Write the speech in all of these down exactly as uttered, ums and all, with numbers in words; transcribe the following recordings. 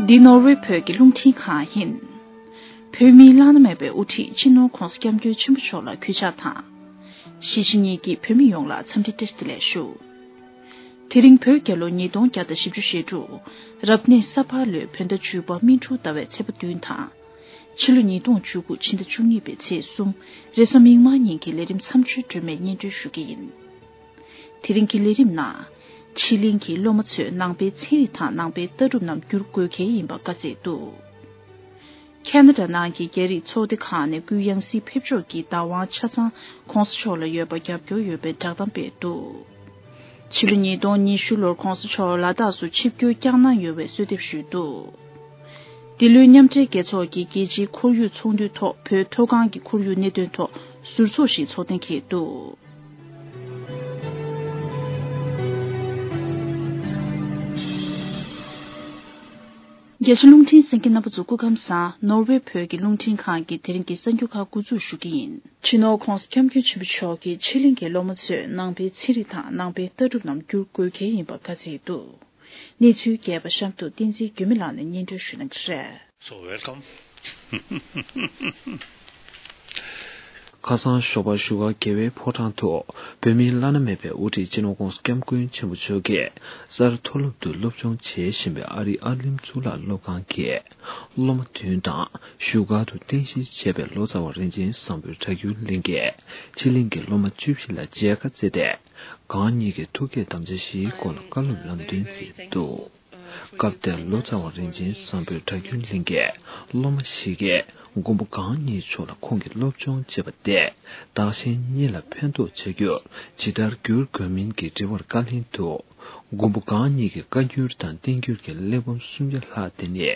འདི་ནོར་ཝེ་བོད་ཀྱི་རླུང་འཕྲིན་ཁང་ཡིན། བོད་མིའི་བླ་ན་མེད་པའི་དབུ་ཁྲིད་སྤྱི་ནོར་༧གོང་ས་༧སྐྱབས་མགོན་ཆེན་པོ་མཆོག་ལ་གུས་ཕྱག་དང་། གཞིས་བྱེས་གཉིས་ཀྱི་བོད་མི་ཡོངས་ལ་འཚམས་འདྲི་བཀྲ་ཤིས་བདེ་ལེགས་ཞུ། དེ་རིང་བོད་རྒྱལ་ལོ་ཉིས་སྟོང་བརྒྱ་དང་བཞི་བཅུ་ཞེ་དྲུག་རབ་གནས་ས་ཕག་ལོའི་བོད་ཟླ་བཅུ་པ་སྨིན་དྲུག་ཟླ་བའི་ཚེས་པ་བདུན་དང་། ཕྱི་ལོ་ཉིས་སྟོང་བཅུ་དགུ་ཕྱི་ཟླ་བཅུ་གཉིས་པའི་ཚེས་གསུམ་རེས་གཟའ་མིག་དམར་ཉིན་གྱི་ལས་རིམ་མཚམས་གཅོད་སྒྲོན་མེ་སྙན་སྒྲོན་ཞུ་གི་ཡིན། དེ་རིང་གི་ལས་རིམ་ནང་། ཕྱི་གླིང་གི་སློབ་མ་ཚོས་ནང་པའི་ཚན་རིག་དང་ནང་པའི་ལྟ་གྲུབ་རྣམས་བསྒྱུར་དགོས་གལ་ཡིན་པ་བཀའ་སྩལ་འདུག་ཁ་ན་ཌ་ནང་གི་རྒྱ་རིགས་ཚོགས་སྡེ་ཁག་ནས་སྐུའི་ཡང་སྲིད་ཕེབས་ཕྱོགས་ཀྱི་བདག་དབང་ཆ་ཚང་༧གོང་ས་མཆོག་ལ་ཡོད་པར་རྒྱབ་སྐྱོར་ཡོད་པའི་བསྒྲགས་གཏམ་སྤེལ་འདུག་ཕྱི་ལོ་ཉིས་སྟོང་ཉི་ཤུ་ལོར་༧གོང་ས་མཆོག་ལ་དྭགས་སུ་ཆིབས་བསྒྱུར་བསྐྱངས་གནང་ཡོད་པའི་གསོལ་འདེབས་ཞུས་འདུག་འདི་ལོའི་མཉམ་འབྲེལ་རྒྱལ་ཚོགས་ཀྱི་རྒྱལ་སྤྱིའི་ཁོར་ཡུག་ཚོགས་འདུའི་ཐོག་བོད་མཐོ་སྒང་གི་ཁོར་ཡུག་གནད་དོན་ཐོག་ཟུར་ཚོགས་ཤིག་ཚོགས་གཏན་འཁེལ་འདུག་རྒྱ་ཆེ་རླུང་འཕྲིན་གསན་མཁན་རྣམ་པ་ཚོ་སྐུ་ཁམས་བཟང་། ནོར་ཝེ་བོད་ཀྱི་རླུང་འཕྲིན་ཁང་གི་དེ་རིང་གི་གསར་འགྱུར་ཁག་འགོ་འཛུགས་ཞུ་གི་ཡིན། སྤྱི་ནོར་༧གོང་ས་༧སྐྱབས་མགོན་ཆེན་པོ་མཆོག་གིས་ཕྱི་གླིང་གི་སློབ་མ་ཚོས་ནང་པའི་ཚན་རིག་དང་ནང་པའི་ལྟ་གྲུབ་རྣམས་བསྒྱུར་དགོས་གལ་ཡིན་པ་བཀའ་སྩལ་འདུག་གནས་ཚུལ་རྒྱས་པ་གཤམ་དུ་བསྟན་འཛིན་འགྱུར་མེད་ལགས་ནས་སྙན་སྒྲོན་ཞུ་གནང་གི་རེད། So welcome. ཁ་སང་ཞོགས་པ་བཞུགས་སྒར་རྒྱལ་བའི་ཕོ་བྲང་དུ་བོད་མིའི་བླ་ན་མེད་པའི་དབུ་ཁྲིད་སྤྱི་ནོར་༧གོང་ས་༧སྐྱབས་མགོན་ཆེན་པོ་མཆོག་གིས་སར་མཐོ་སློབ་ཏུ་སློབ་སྦྱོང་བྱེད་བཞིན་པའི་ཨ་རིའི་ཨར་ལིམ་གཙུག་ལག་སློབ་ཁང་གི་སློབ་མ་བདུན་དང་བཞུགས་སྒར་དུ་རྟེན་གཞི་བྱས་པའི་ལོ་ཙཱ་བ་རིན་ཆེན་བཟང་པོའི་གྲྭ་རྒྱུན་གླིང་གི་ཕྱི་གླིང་གི་སློབ་མ་བཅུ་བཞི་ལ་མཇལ་ཁ་བསྩལ་ཏེ། གང་ཉིད་ཀྱི་ཐུགས་བསྐྱེད་དམ་བཅའ་བཞིའི་སྐོར་ལ་བཀའ་སློབ་ལམ་སྟོན་མཛད་འདུག་སྐབས་དེར་ལོ་ཙཱ་བ་རིན་ཆེན་བཟང་པོའི་གྲྭ་རྒྱུན་གླིང་གི་སློབ་མ་ཞིག་གིས་མགོན་པོ་གང་ཉིད་མཆོག་ལ་ཁོང་གིས་སློབ་སྦྱོང་བྱས་པ་དེས་བདག་གཞན་གཉིས་ལ་ཕན་ཐོགས་བྱ་རྒྱུར་ཇི་ལྟར་འགྱུར་དགོས་མིན་གྱི་དྲི་བར་བཀའ་ལན་དུ། མགོན་པོ་གང་ཉིད་ཀྱི་བཀའ་འགྱུར་དང་བསྟན་འགྱུར་གྱི་གླེགས་བམ་སུམ་བརྒྱ་ལྷག་དེ་ནི།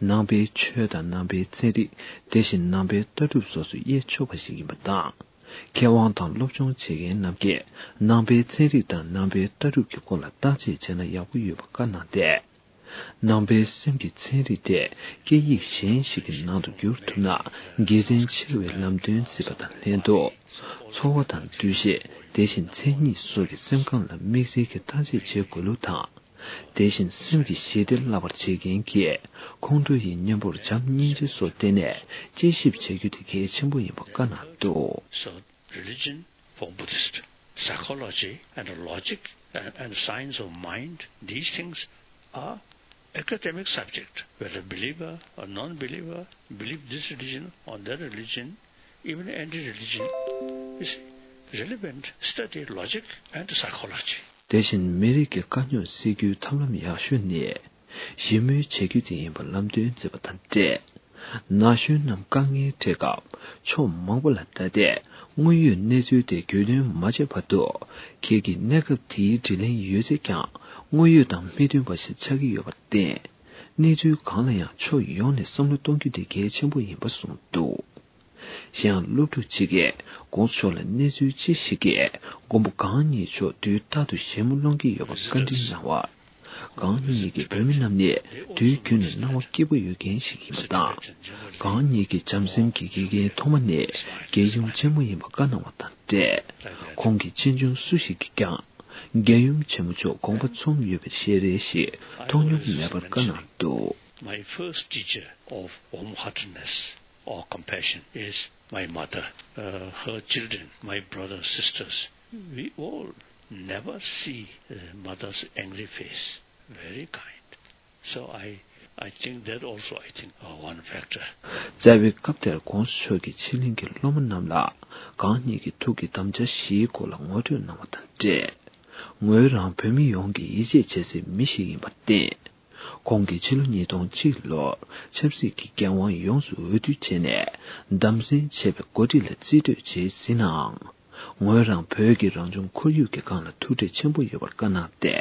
ནང་པའི་ཆོས་དང་ནང་པའི་ཚན་རིག་དེ་བཞིན་ནང་པའི་ལྟ་གྲུབ་སོགས་སུ་དབྱེ་ཆོག་པ་ཞིག་ཡིན་པ་དང་། མཁས་དབང་དང་སློབ་སྦྱོང་བྱེད་མཁན་རྣམས་ཀྱིས་ནང་པའི་ཚན་རིག་དང་ནང་པའི་ལྟ་གྲུབ་ཀྱི་སྐོར་ལ་བརྟག་དཔྱད་བྱས་ན་ཡག་པོ་ཡོད་པ་བཀའ་གནང་སྟེ། ནང་པའི་སེམས་ཀྱི་ཚན་རིག་དེ་སྐད་ཡིག་གཞན་ཞིག་གི་ནང་དུ་བསྒྱུར་ཐུབ་ན་དགེ་མཚན་ཆེ་བའི་ལམ་སྟོན་གཟིགས་པ་དང་ལྷན་དུ། འཚོ་བ་དང་འདུ་ཤེས་དེ་བཞིན་མཚན་ཉིད་སོགས་ཀྱི་སེམས་ཁམས་ལ་དམིགས་བསལ་གྱི་བརྟག་དཔྱད་བྱེད་དགོས་ལུགས་དང་། དེ་བཞིན་སེམས་ཀྱི་ཞི་བདེ་བརླག་པར་བྱེད་མཁན་གྱི་ཁོང་ཁྲོ་ཡི་གཉེན་པོར་བྱམས་སྙིང་རྗེ་སོགས་བསྟེན་ནས་དཔྱད་ཞིབ་བྱ་རྒྱུ་དེ་གལ་ཆེན་པོ་ཡིན་པ་བཀའ་གནང་འདུག So religion for Buddhist, psychology and logic and, and science of mind, these things are academic subject. Whether believer or non-believer, believe this religion or that religion, even anti-religion, is relevant study logic and psychology. དེ་བཞིན་མི་རིགས་ཀྱི་དཀའ་རྙོག་སེལ་རྒྱུའི་ཐབས་ལམ་ཡག་ཤོས་ནི། ཞི་མོལ་བྱེད་རྒྱུ་དེ་ཡིན་པ་ལམ་སྟོན་མཛད་པ་དང་འབྲེལ། ན་གཞོན་རྣམས་དཀའ་ངལ་འཕྲད་སྐབས་ཕྱོགས་མང་པོ་ལ་བལྟ་སྟེ་དངོས་ཡོད་གནས་ཚུལ་དེ་རྒྱུས་ལོན་མ་བྱས་བར་དུ་ཁྱེད་ཀྱིས་གནས་སྐབས་དེའི་དྲིན་ལན་ཡོད་ཚད་ཀྱང་དངོས་ཡོད་དང་མི་མཐུན་པ་ཞིག་ཆགས་ཀྱི་ཡོད་པར་བརྟེན། གནས་ཚུལ་གང་ལ་ཡང་ཕྱོགས་ཡོངས་ནས་བསམ་བློ་གཏོང་རྒྱུ་དེ་གལ་ཆེན་པོ་ཡིན་པ་གསུངས་འདུག་གཞན་ཡང་སློབ་ཕྲུག་ཅིག་གིས་གོང་ས་མཆོག་ལ་གནས་ཚུལ་ཅི་ཞིག་གིས་མགོན་པོ་གང་ཉིད་མཆོག་དུས་རྟག་ཏུ་ཞལ་མོ་སློང་གི་ཡོད་པར་བཀའ་འདྲི་གནང་བར། གང་ཉིད་ཀྱིས་བོད་མི་རྣམས་ནི་དུས་རྒྱུན་ནས་སྣང་བ་སྐྱིད་པོ་ཡོད་མཁན་ཞིག་ཡིན་པ་དང་། གང་ཉིད་ཀྱི་བྱམས་སེམས་ཀྱི་དགེ་རྒན་ཐོག་མ་ནི་རྒྱལ་ཡུམ་ཆེན་མོ་ཡིན་པ་བཀའ་གནང་བ་དང་འབྲེལ། ཁོང་གིས་ཆེ་ཆུང་སུ་ཞིག་གིས་ཀྱང་རྒྱལ་ཡུམ་ཆེན་མོ་མཆོག་དགོངས་པ་མཚུངས་ཡོད་པའི་ཞལ་རས་ཤིག་མཐོང་མྱོང་མེད་པར་བཀའ་གནང་འདུག My first teacher of warm-heartedness or compassion is my mother. Uh, her children, my brothers, sisters, we all never see the mother's angry face. Very kind. So I, I think that also, I think, uh, one factor. རྩ་བའི་སྐབས་དེར་གོང་ས་མཆོག་གིས་ཕྱི་གླིང་གི་སློབ་མ་རྣམས་ལ་གང་ཉིད་ཀྱི་ཐུགས་ཀྱི་དམ་བཅའ་བཞིའི་སྐོར་ལ་ངོ་སྤྲོད་གནང་བ་དང་འབྲེལ། ངོས་རང་བོད་མི་ཡོངས་ཀྱི་ཡིད་ཆེས་བྱེད་སའི་མི་ཞིག་ཡིན་པར་བརྟེན། ཁོང་གིས་ཕྱི་ལོ་ཉིས་སྟོང་གཅིག་ལོར་ཆབ་སྲིད་ཀྱི་འགན་དབང་ཡོངས་སུ་འོས་བསྡུ་བྱས་ནས་བདམས་གསེས་བྱས་པའི་འགོ་ཁྲིད་ལ་རྩིས་སྤྲོད་བྱས་ཟིན་ནའང་། ངོས་རང་བོད་ཀྱི་རང་བྱུང་ཁོར་ཡུག་གི་སྒང་ལ་ཐུགས་འདྲེས་ཆེན་པོ་ཡོད་པར་བཀའ་གནང་སྟེ།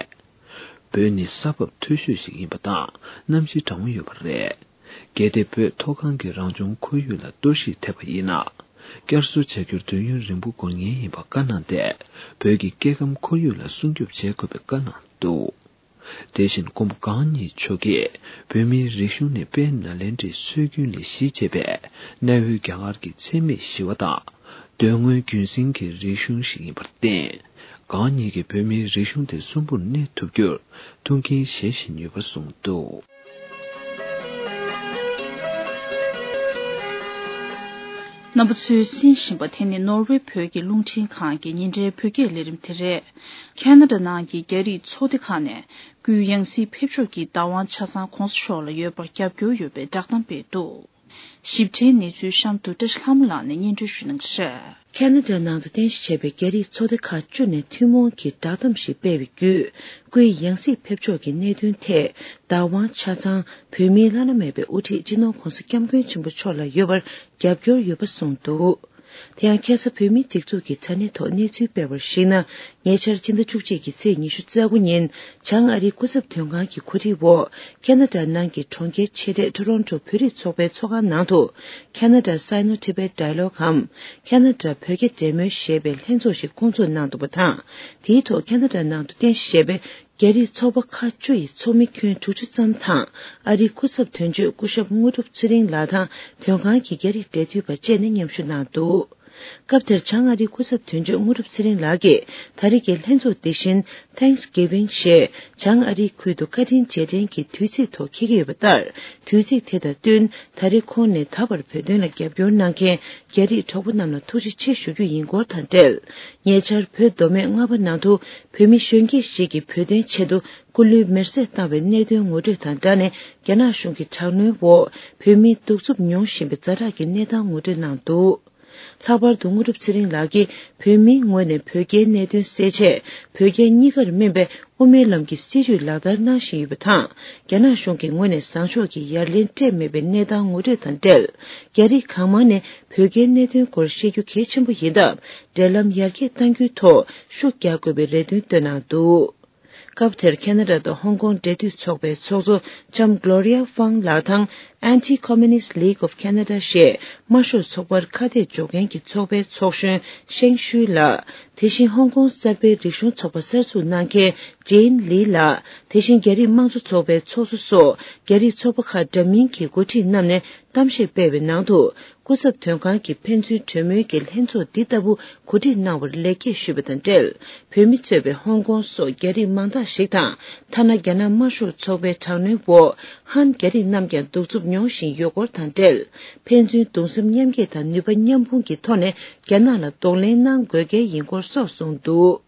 བོད་ནི་ས་བབ་མཐོ་ཤོས་ཤིག་ཡིན་པ་དང་གནམ་གཤིས་གྲང་མོ་ཡོད་པ་རེད། གལ་ཏེ་བོད་མཐོ་སྒང་གི་རང་བྱུང་ཁོར་ཡུག་ལ་གཏོར་བཤིག་ཐེབས་པ་ཡིན་ན། བསྐྱར་གསོ་བྱ་རྒྱུར་དུས་ཡུན་རིང་པོ་འགོར་ངེས་ཡིན་པ་བཀའ་གནང་སྟེ། བོད་ཀྱི་སྐྱེ་ཁམས་ཁོར་ཡུག་ལ་སྲུང་སྐྱོབ་བྱེད་དགོས་པའི་བཀའ་གནང་འདུག་དེ་བཞིན་མགོན་པོ་གང་ཉིད་མཆོག་གིས་བོད་མིའི་རིག་གཞུང་ནི་དཔལ་ནཱ་ལེནྡྲའི་སྲོལ་རྒྱུན་ལས་གཞི་བྱས་པའི་གནའ་བོའི་རྒྱ་གར་གྱི་འཚེ་མེད་ཞི་བ་དང་། གདོད་མངོན་རྒྱུན་བསྲིང་གི་རིག་གཞུང་ཞིག་ཡིན་པར་བརྟེན། གང་ཉིད་ཀྱིས་བོད་མིའི་རིག་གཞུང་དེ་གསོན་པོར་གནས་ཐུབ་རྒྱུར་ཐུགས་འགན་བཞེས་བཞིན་ཡོད་པར་གསུངས་འདུག་རྣམ་པ་ཚོས་གསན་བཞིན་པ་དེ་ནི་ནོར་ཝེ་བོད་ཀྱི་རླུང་འཕྲིན་ཁང་གི་ཉིན་རེའི་བོད་སྐད་ལས་རིམ་དེ་རེད། ཁ་ན་ཌ་ནང་གི་རྒྱ་རིགས་ཚོགས་སྡེ་ཁག་ནས་སྐུའི་ཡང་སྲིད་ཕེབས་ཕྱོགས་ཀྱི་བདག་དབང་ཆ་ཚང་གོང་ས་མཆོག་ལ་ཡོད་པར་རྒྱབ་སྐྱོར་ཡོད་པའི་བསྒྲགས་གཏམ་སྤེལ་འདུག། ཞིབ་ཕྲའི་གནས་ཚུལ་གཤམ་དུ་བཀྲ་ཤིས་ལྷ་མོ་ལགས་ནས་སྙན་སྒྲོན་ཞུ་གནང་གི་རེད། ཁ་ན་ཌ་ནང་དུ་རྟེན་གཞི་བྱས་པའི་རྒྱ་རིགས་ཚོགས་སྡེ་ཁག་བཅུ་ནས་ཐུན་མོང་གི་བསྒྲགས་གཏམ་ཞིག་སྤེལ་བའི་བརྒྱུད། སྐུའི་ཡང་སྲིད་ཕེབས་ཕྱོགས་ཀྱི་གནད་དོན་ཐད། བདག་དབང་ཆ་ཚང་བོད་མིའི་བླ་ན་མེད་པའི་དབུ་ཁྲིད་སྤྱི་ནོར་༧གོང་ས་༧སྐྱབས་མགོན་ཆེན་པོ་མཆོག་ལ་ཡོད་པར་རྒྱབ་སྐྱོར་ཡོད་པ་གསུངས་འདུག། དེ་ཡང་ཁ་ས་བོད་མིའི་སྒྲིག་འཛུགས་ཀྱི་དྲ་གནས་ཐོག་གནས་ཚུལ་སྤེལ་བར་གཞིགས་ན། ཉེ་ཆར་ཕྱི་ཟླ་བཅུ་གཅིག་གི་ཚེས་ཉི་ཤུ་རྩ་དགུ་ཉིན། བྱང་ཨ་རིའི་སྐུ་ཚབ་དོན་ཁང་གི་གོ་སྒྲིག་འོག། ཁ་ན་ཌ་ནང་གི་གྲོང་ཁྱེར་ཆེ་གྲས་ཊོ་རོན་ཊོ་བོད་རིགས་ཚོགས་པའི་ཚོགས་ཁང་ནང་དུ། Canada Sino Tibet Dialogue གམ། ཁ་ན་ཌ་བོད་རྒྱ་འབྲེལ་མོལ་ཞེས་པའི་ལྷན་ཚོགས་ཤིག་བསྐོང་ཚོགས་གནང་འདུག་པ་དང་། དེའི་ཐོག་ཁ་ན་ཌ་ནང་དུ་རྟེན་གཞི་བྱས་པའི་རྒྱ་རིགས་ཚོགས་པ་ཁག་བཅུ་ཡི་ཚོགས་མི་ཁྱོན་དྲུག་ཅུ་ཙམ་དང་། ཨ་རིའི་སྐུ་ཚབ་དོན་གཅོད་སྐུ་ཞབས་དངོས་གྲུབ་ཚེ་རིང་ལགས་དང་། དོན་ཁང་གི་རྒྱ་རིགས་འབྲེལ་མཐུད་པ་བཅས་ནས་མཉམ་ཞུགས་གནང་འདུག། སྐབས་དེར་བྱང་ཨ་རིའི་སྐུ་ཚབ་དོན་གཅོད་དངོས་གྲུབ་ཚེ་རིང་ལགས་ཀྱིས། ད་རེས་ཀྱི་ལྷན་ཚོགས་འདི་བཞིན། Thanksgiving ཞེས་བྱང་ཨ་རིའི་ཁུལ་དུ་བཀའ་དྲིན་རྗེས་དྲན་གྱི་དུས་ཚིགས་ཐོག་འཁེལ་གྱི་ཡོད་པ་ལྟར། དུས་ཚིགས་དེ་དང་བསྟུན། ད་རེས་ཁོང་ནས་ད་བར་བོད་དོན་ལ་རྒྱབ་སྐྱོར་གནང་མཁན་རྒྱ་རིགས་གྲོགས་པོ་རྣམས་ལ་ཐུགས་རྗེ་ཆེ་ཞུ་རྒྱུ་ཡིན་སྐོར་དང་འབྲེལ། ཉེ་ཆར་བོད་མདོ་སྨད་རྔ་པ་ནང་དུ་བོད་མི་གཞོན་སྐྱེས་ཤིག་གིས་བོད་དོན་ཆེད་དུ་སྐུ་ལུས་མེར་སྲེག་བཏང་བའི་གནད་དོན་ངོ་སྤྲོད་དང་སྦྲགས་ནས། རྒྱ་ནག་གཞུང་གི་དྲག་གནོན་འོག་བོད་མི་གདུག་རྩུབ་མྱོང་བཞིན་པའི་ཛ་དྲག་གི་གནས་སྟངས་ངོ་སྤྲོད་གནང་འདུག། ལྷག་པར་དུ་དངོས་གྲུབ་ཚེ་རིང་ལགས་ཀྱིས། བོད་མིའི་ངོས་ནས་བོད་རྒྱའི་གནད་དོན་སེལ་ཆེད། བོད་རྒྱ་གཉིས་ཀར་སྨིན་པའི་དབུ་མའི་ལམ་གྱི་སྲིད་བྱུས་ལག་བསྟར་གནང་བཞིན་ཡོད་པ་དང་། རྒྱ་ནག་གཞུང་གི་ངོས་ནས་བཟང་ཕྱོགས་ཀྱི་ཡ་ལན་སྤྲད་མེད་པའི་གནས་སྟངས་ངོ་སྤྲོད་དང་འབྲེལ། རྒྱ་རིགས་གང་མང་ནས་བོད་རྒྱའི་གནད་དོན་སྐོར་བཤད་རྒྱུ་གལ་ཆེན་པོ་ཡིན་སྟབས། འབྲེལ་ལམ་ཡར་རྒྱས་གཏང་རྒྱུའི་ཐོག་ཤུགས་རྒྱག་དགོས་པའི་རེ་འདུན་བཏོན་གནང་འདུག། སྐབས་དེར་ཁ་ན་ཌ་དང་ཧོང་ཀོང་འབྲེལ་མཐུད་ཚོགས་པའི་ཚོགས་གཙོ་ལྕམ་Gloria Fang ལགས་དང་། Anti-Communist League of Canada ཞེས་དམར་ཤོག་ཚོགས་པར་ཁ་གཏད་གཅོག་མཁན་གྱི་ཚོགས་པའི་ཚོགས་གཞོན་ཤེང་ཤུའི་ལགས། དེ་བཞིན་ཧོང་ཀོང་གསར་སྤེལ་རིག་གཞུང་ཚོགས་པ་གསར་འཛུགས་གནང་མཁན་ཇེན་ལི་ལགས། དེ་བཞིན་རྒྱ་རིགས་དམངས་གཙོ་ཚོགས་པའི་ཚོགས་གཙོ་སོགས་རྒྱ་རིགས་ཚོགས་པ་ཁག་འདྲ་མིན་གྱི་འགོ་ཁྲིད་རྣམས་ནས་གཏམ་བཤད་སྤེལ་བའི་ནང་དུ། སྐུ་ཚབ་དོན་ཁང་གིས་ཕན་ཚུན་གྲོས་མོལ་གྱི་ལྷན་ཚོགས་འདི་ལྟ་བུ་གོ་སྒྲིག་གནང་བར་ལེགས་སྐྱེས་ཞུས་པ་དང་འབྲེལ། བོད་མི་གཙོས་པའི་ཧོང་ཀོང་སོགས་རྒྱ་རིགས་མང་དག་ཞིག་དང་། ཐ་ན་རྒྱ་ནག་དམར་ཤོག་ཚོགས་པའི་དྲག་གནོན་འོག་ཧན་རྒྱ་རིགས་རྣམས་ཀྱང་གདུག་རྩུབ་མྱོང་བཞིན་ཡོད་སྐོར་དང་འབྲེལ། ཕན་ཚུན་གདུང་སེམས་མཉམ་སྐྱེད་དང་ནུས་པ་མཉམ་སྤུངས་ཀྱི་ཐོག་ནས་རྒྱ་ནག་ལ་གདོང་ལེན་གནང་དགོས་གལ་ཡིན་སྐོར་སོགས་གསུངས་འདུག།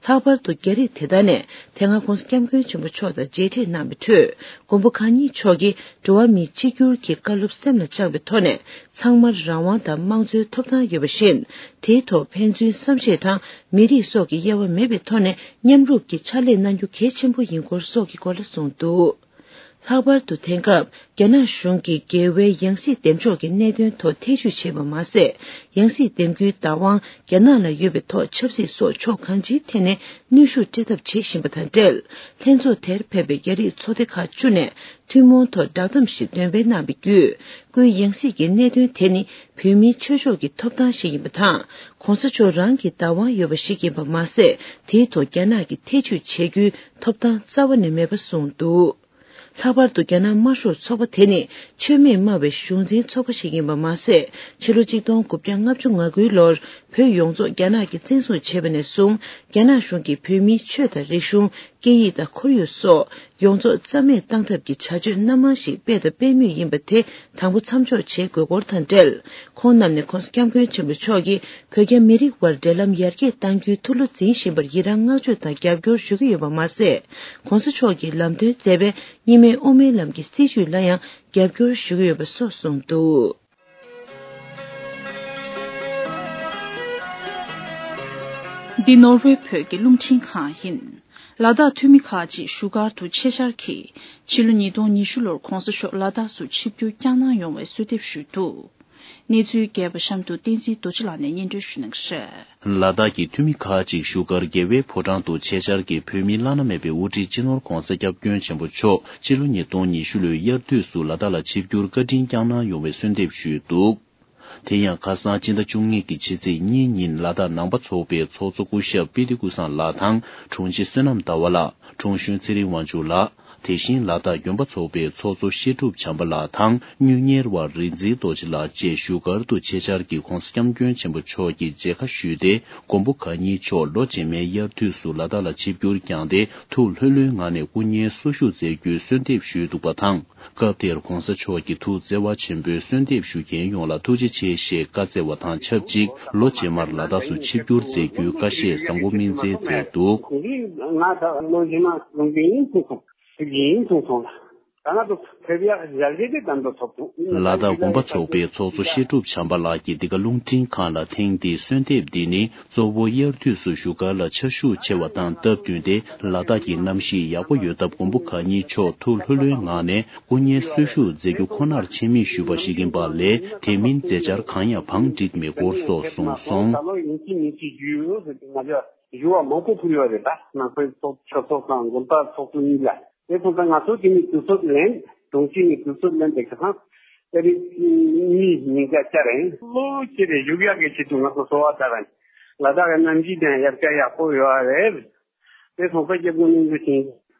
ལྷག་པར་དུ་རྒྱ་རིགས་དེ་དག་ནས་དེ་སྔ་༧གོང་ས་༧སྐྱབས་མགོན་ཆེན་པོ་མཆོག་དང་མཇལ་འཕྲད་གནང་བའི་ཁྲོད། མགོན་པོ་གང་ཉིད་མཆོག་གིས་འགྲོ་བ་མིའི་གཅིག་གྱུར་གྱི་བཀའ་སློབ་སེམས་ལ་བཅངས་པའི་ཐོག་ནས། ཚང་མར་རང་དབང་དང་དམངས་གཙོའི་ཐོབ་ཐང་ཡོད་པ་བཞིན། དེའི་ཐོག་ཕན་ཚུན་བསམ་ཤེས་དང་མི་རིགས་སོགས་ཀྱི་དབྱེ་བ་མེད་པའི་ཐོག་ནས་མཉམ་རུབ་ཀྱིས་ཕྱག་ལས་གནང་རྒྱུ་གལ་ཆེན་པོ་ཡིན་སྐོར་སོགས་ཀྱི་སྐོར་ལ་གསུངས་འདུག། ལྷག་པར་དུ་དེང་སྐབས་རྒྱ་ནག་གཞུང་གིས་རྒྱལ་བའི་ཡང་སྲིད་འདེམས་འཇོག་གི་གནད་དོན་ཐོག་ཐེ་ཇུས་བྱས་པ་མ་ཟད། ཡང་སྲིད་འདེམས་རྒྱུའི་བདག་དབང་རྒྱ་ནག་ལ་ཡོད་པའི་ཐོག་ཆབ་སྲིད་སོགས་ཕྱོགས་གང་ཅིའི་ཐད་ནས་གནོན་ཤུགས་སྤྲད་ཐབས་བྱེད་བཞིན་པ་དང་འབྲེལ། ལྷན་ཚོགས་དེར་ཕེབས་པའི་རྒྱ་རིགས་ཚོགས་སྡེ་ཁག་བཅུ་ནས་ཐུན་མོང་ཐོག་བསྒྲགས་གཏམ་ཞིག་འདོན་སྤེལ་གནང་བའི་བརྒྱུད། སྐུའི་ཡང་སྲིད་ཀྱི་གནད་དོན་དེ་ནི་བོད་མིའི་ཆོས་ཕྱོགས་ཀྱི་ཐོབ་ཐང་ཞིག་ཡིན་པ་དང་། ྋགོང་ས་མཆོག་རང་གི་བདག་དབང་ཡོད་པ་ཞིག་ཡིན་པ་མ་ཟད། དེའི་ཐོག་རྒྱ་ནག་གིས་ཐེ་ཇུས་བྱེད་རྒྱུའི་ཐོབ་ཐང་རྩ་བ་ནས་མེད་པ་གསུངས་འདུག། ལྷག་པར་དུ་རྒྱ་ནག་དམར་ཤོག་ཚོགས་པ་དེ་ནི་ཆོས་མེད་སྨྲ་བའི་གཞུང་འཛིན་ཚོགས་པ་ཞིག་ཡིན་པ་མ་ཟད། ཕྱི་ལོ་གཅིག་སྟོང་དགུ་བརྒྱ་ལྔ་བཅུ་ང་དགུའི་ལོར་བོད་ཡོངས་རྫོགས་རྒྱ་ནག་གིས་བཙན་བཟུང་བྱས་པ་ནས་བཟུང་། རྒྱ་ནག་གཞུང་གིས་བོད་མིའི་ཆོས་དང་རིག་གཞུང་། སྐད་ཡིག་དང་ཁོར་ཡུག་སོགས་ཡོངས་རྫོགས་རྩ་མེད་བཏང་ཐབས་ཀྱི་བྱ་སྤྱོད་སྣ་མང་ཞིག་སྤེལ་དང་སྤེལ་མུས་ཡིན་པ་དེ་དང་པོ་མཚམས་འཇོག་བྱེད་དགོས་སྐོར་དང་འབྲེལ། ཁོང་རྣམས་ནས་༧གོང་ས་༧སྐྱབས་མགོན་ཆེན་པོ་མཆོག་གིས་བོད་རྒྱ་མི་རིགས་དབར་འབྲེལ་ལམ་ཡར་རྒྱས་གཏང་རྒྱུའི་ཐུགས་བློ་འཛིན་བཞིན་པར་ཡི་རང་བསྔགས་བརྗོད་དང་རྒྱབ་སྐྱོར་ཞུ་གི་ཡོད་པ་མ་ཟད། ྋགོང་ས་མཆོག་གིས་ལམ་སྟོན་མཛད་པའི་གཉིས་སྨན་དབུ་མའི་ལམ་གྱི་སྲིད་བྱུས་ལ་ཡང་རྒྱབ་སྐྱོར་ཞུ་གི་ཡོད་པ་སོགས་གསུངས་འདུག། འདི་ནོར་ཝེ་བོད་ཀྱི་རླུང་འཕྲིན་ཁང་ཡིན། ལ་དྭགས་འཐུས་མི་ཁག་ཅིག་བཞུགས་སྒར་དུ་ཆེད་བཅར་གྱིས། ཕྱི་ལོ་ཉིས་སྟོང་ཉི་ཤུ་ལོར་ྋགོང་ས་མཆོག་ལ་དྭགས་སུ་ཆིབས་བསྒྱུར་བསྐྱངས་གནང་ཡོང་བའི་གསོལ་འདེབས་ཞུས་འདུག། གནས་ཚུལ་རྒྱས་པ་གཤམ་དུ་བསྟན་འཛིན་རྡོ་རྗེ་ལགས་ནས་སྙན་སྒྲོན་ཞུ་གནང་གི་རེད། ལ་དྭགས་ཀྱི་འཐུས་མི་ཁག་ཅིག་བཞུགས་སྒར་རྒྱལ་བའི་ཕོ་བྲང་དུ་ཆེད་བཅར་གྱིས་བོད་མིའི་བླ་ན་མེད་པའི་དབུ་ཁྲིད་སྤྱི་ནོར་༧གོང་ས་༧སྐྱབས་མགོན་ཆེན་པོ་མཆོག་ཕྱི་ལོ་ཉིས་སྟོང་ཉི་ཤུ་ལོའི་དབྱར་དུས་སུ་ལ་དྭགས་ལ་ཆིབས་བསྒྱུར་བཀའ་དྲིན་བསྐྱངས་གནང་ཡོང་བའི་གསོལ་འདེབས་ཞུས་འདུག། དེ་ཡང་ཁ་སང་སྤྱི་ཟླ་བཅུ་གཉིས་ཀྱི་ཕྱི་ཚེས་གཉིས་ཉིན་ལ་དྭགས་ནང་པ་ཚོགས་པའི་ཚོགས་གཙོ་སྐུ་ཞབས་པི་ཏི་ཀུ་སངས་ལགས་དང་དྲུང་ཆེ་བསོད་ནམས་ཟླ་བ་ལགས། དྲུང་གཞོན་ཚེ་རིང་དབང་ཕྱུག་ལགས། དེ་བཞིན་ལ་དྭགས་དགོན་པ་ཚོགས་པའི་ཚོགས་གཙོ་བཤད་སྒྲུབ་བྱམས་པ་ལགས་དང་། གཉུག་གཉེར་བ་རིག་འཛིན་རྡོ་རྗེ་ལགས་བཅས་བཞུགས་སྒར་དུ་ཆེད་བཅར་གྱིས་༧གོང་ས་༧སྐྱབས་མགོན་ཆེན་པོ་མཆོག་གི་མཇལ་ཁ་ཞུས་ཏེ། མགོན་པོ་གང་ཉིད་མཆོག་ལོ་རྗེས་མའི་དབྱར་དུས་སུ་ལ་དྭགས་ལ་ཆིབས་བསྒྱུར་བསྐྱངས་ཏེ། ཐུགས་ལྷོད་ལྷོད་ངང་ནས་སྐུ་བརྙན་གསོ་བཞུགས་མཛད་རྒྱུའི་གསོལ་འདེབས་ཞུས་འདུག་པ་དང་། སྐབས་དེར་༧གོང་ས་མཆོག་གིས་ཐུགས་བརྩེ་བ་ཆེན་པོས་གསོལ་འདེབས་ཞུ་མཁན་ཡོངས་ལ་ཐུགས་རྗེ་ཆེ་ཞེས་བཀའ་སྩལ་བ་དང་ཆབས་ཅིག་ལོ་རྗེས་མར་ལ་དྭགས་སུ་ཆིབས་བསྒྱུར་མཛད་རྒྱུའི་བཀའ་བཞེས་བཟང་པོ་སྨིན་སྩལ་མཛད་འདུག་ང་ད་ལོ་རྗེས་མ་ལུང་པའི་ཡིན་ཐུག་སོང་། ཐུག་ཡིན་ཐུག་སོང་ལ། ད་ང་ཚོ་ཕེབས་ཡག་ཡར་རྒྱས་དེ་དམ་དུ་ཐོབ་འདུག་ལ་དྭགས་དགོན་པ་ཚོགས་པའི་ཚོགས་གཙོ་བཤད་སྒྲུབ་བྱམས་པ་ལགས་ཀྱིས་འདི་ག་རླུང་འཕྲིན་ཁང་ལ་ཐེངས་འདིའི་གསོལ་འདེབས་འདི་ནི། གཙོ་བོ་དབྱར་དུས་སུ་བཞུགས་སྒར་ལ་ཆར་ཤུགས་ཆེ་བ་དང་སྟབས་བསྟུན་ཏེ། ལ་དྭགས་ཀྱི་གནམ་གཤིས་ཡག་པོ་ཡོད་སྟབས། མགོན་པོ་གང་ཉིད་མཆོག་ཐུགས་ལྷོད་ལྷོད་ངང་ནས་སྐུ་བརྙན་གསོ་བཞུགས་མཛད་རྒྱུ་ཁོ་ནར་ཆེད་དམིགས་ཞུས་པ་ཞིག་ཡིན་པ་ལས། དེ་མིན་མཛད་འཆར་གང་ཡང་བང་བསྒྲིགས་མེད་སྐོར་སོགས་གསུངས་སོང་། ད་ལོ་ཡིན་གཅིག་མིན་གཅིག་རྒྱུས་ཡོད་ཟེར་ཏེ་ང་ཚོ་ཞུ་བ་མང་པོ་ཕུལ་ཡོད་རེད། ད་ནང་པའི་ཚོགས་ཆོས་ཚོགས་དང་དགོན་པ་ཚོགས་གཙོ་གཉིས་ལ། དེ་སོང་ཙང་ང་ཚོ་དེ་ནས་དུས་ཚོད་ལེན། གྲོང་ཁྱེར་ནས་དུས་ཚོད་ལེན་པའི་ཁ་སང་དེ་རིང་གཉིས་ཉིན་ག་བཅར་རེད། ལོ་གཅིག་རེ་བཞུགས་ཡག་གི་ཆེད་དུ་ང་ཚོ་གསོལ་བ་བཏབ་པ་ཡིན། ལ་དྭགས་ཀྱི་གནམ་གཤིས་དང་དབྱར་ཁ་ཡག་པོ་ཡོད་རེད། དེ་སོང་ཙང་སྐྱབས་མགོན་རིན་པོ་ཆེ་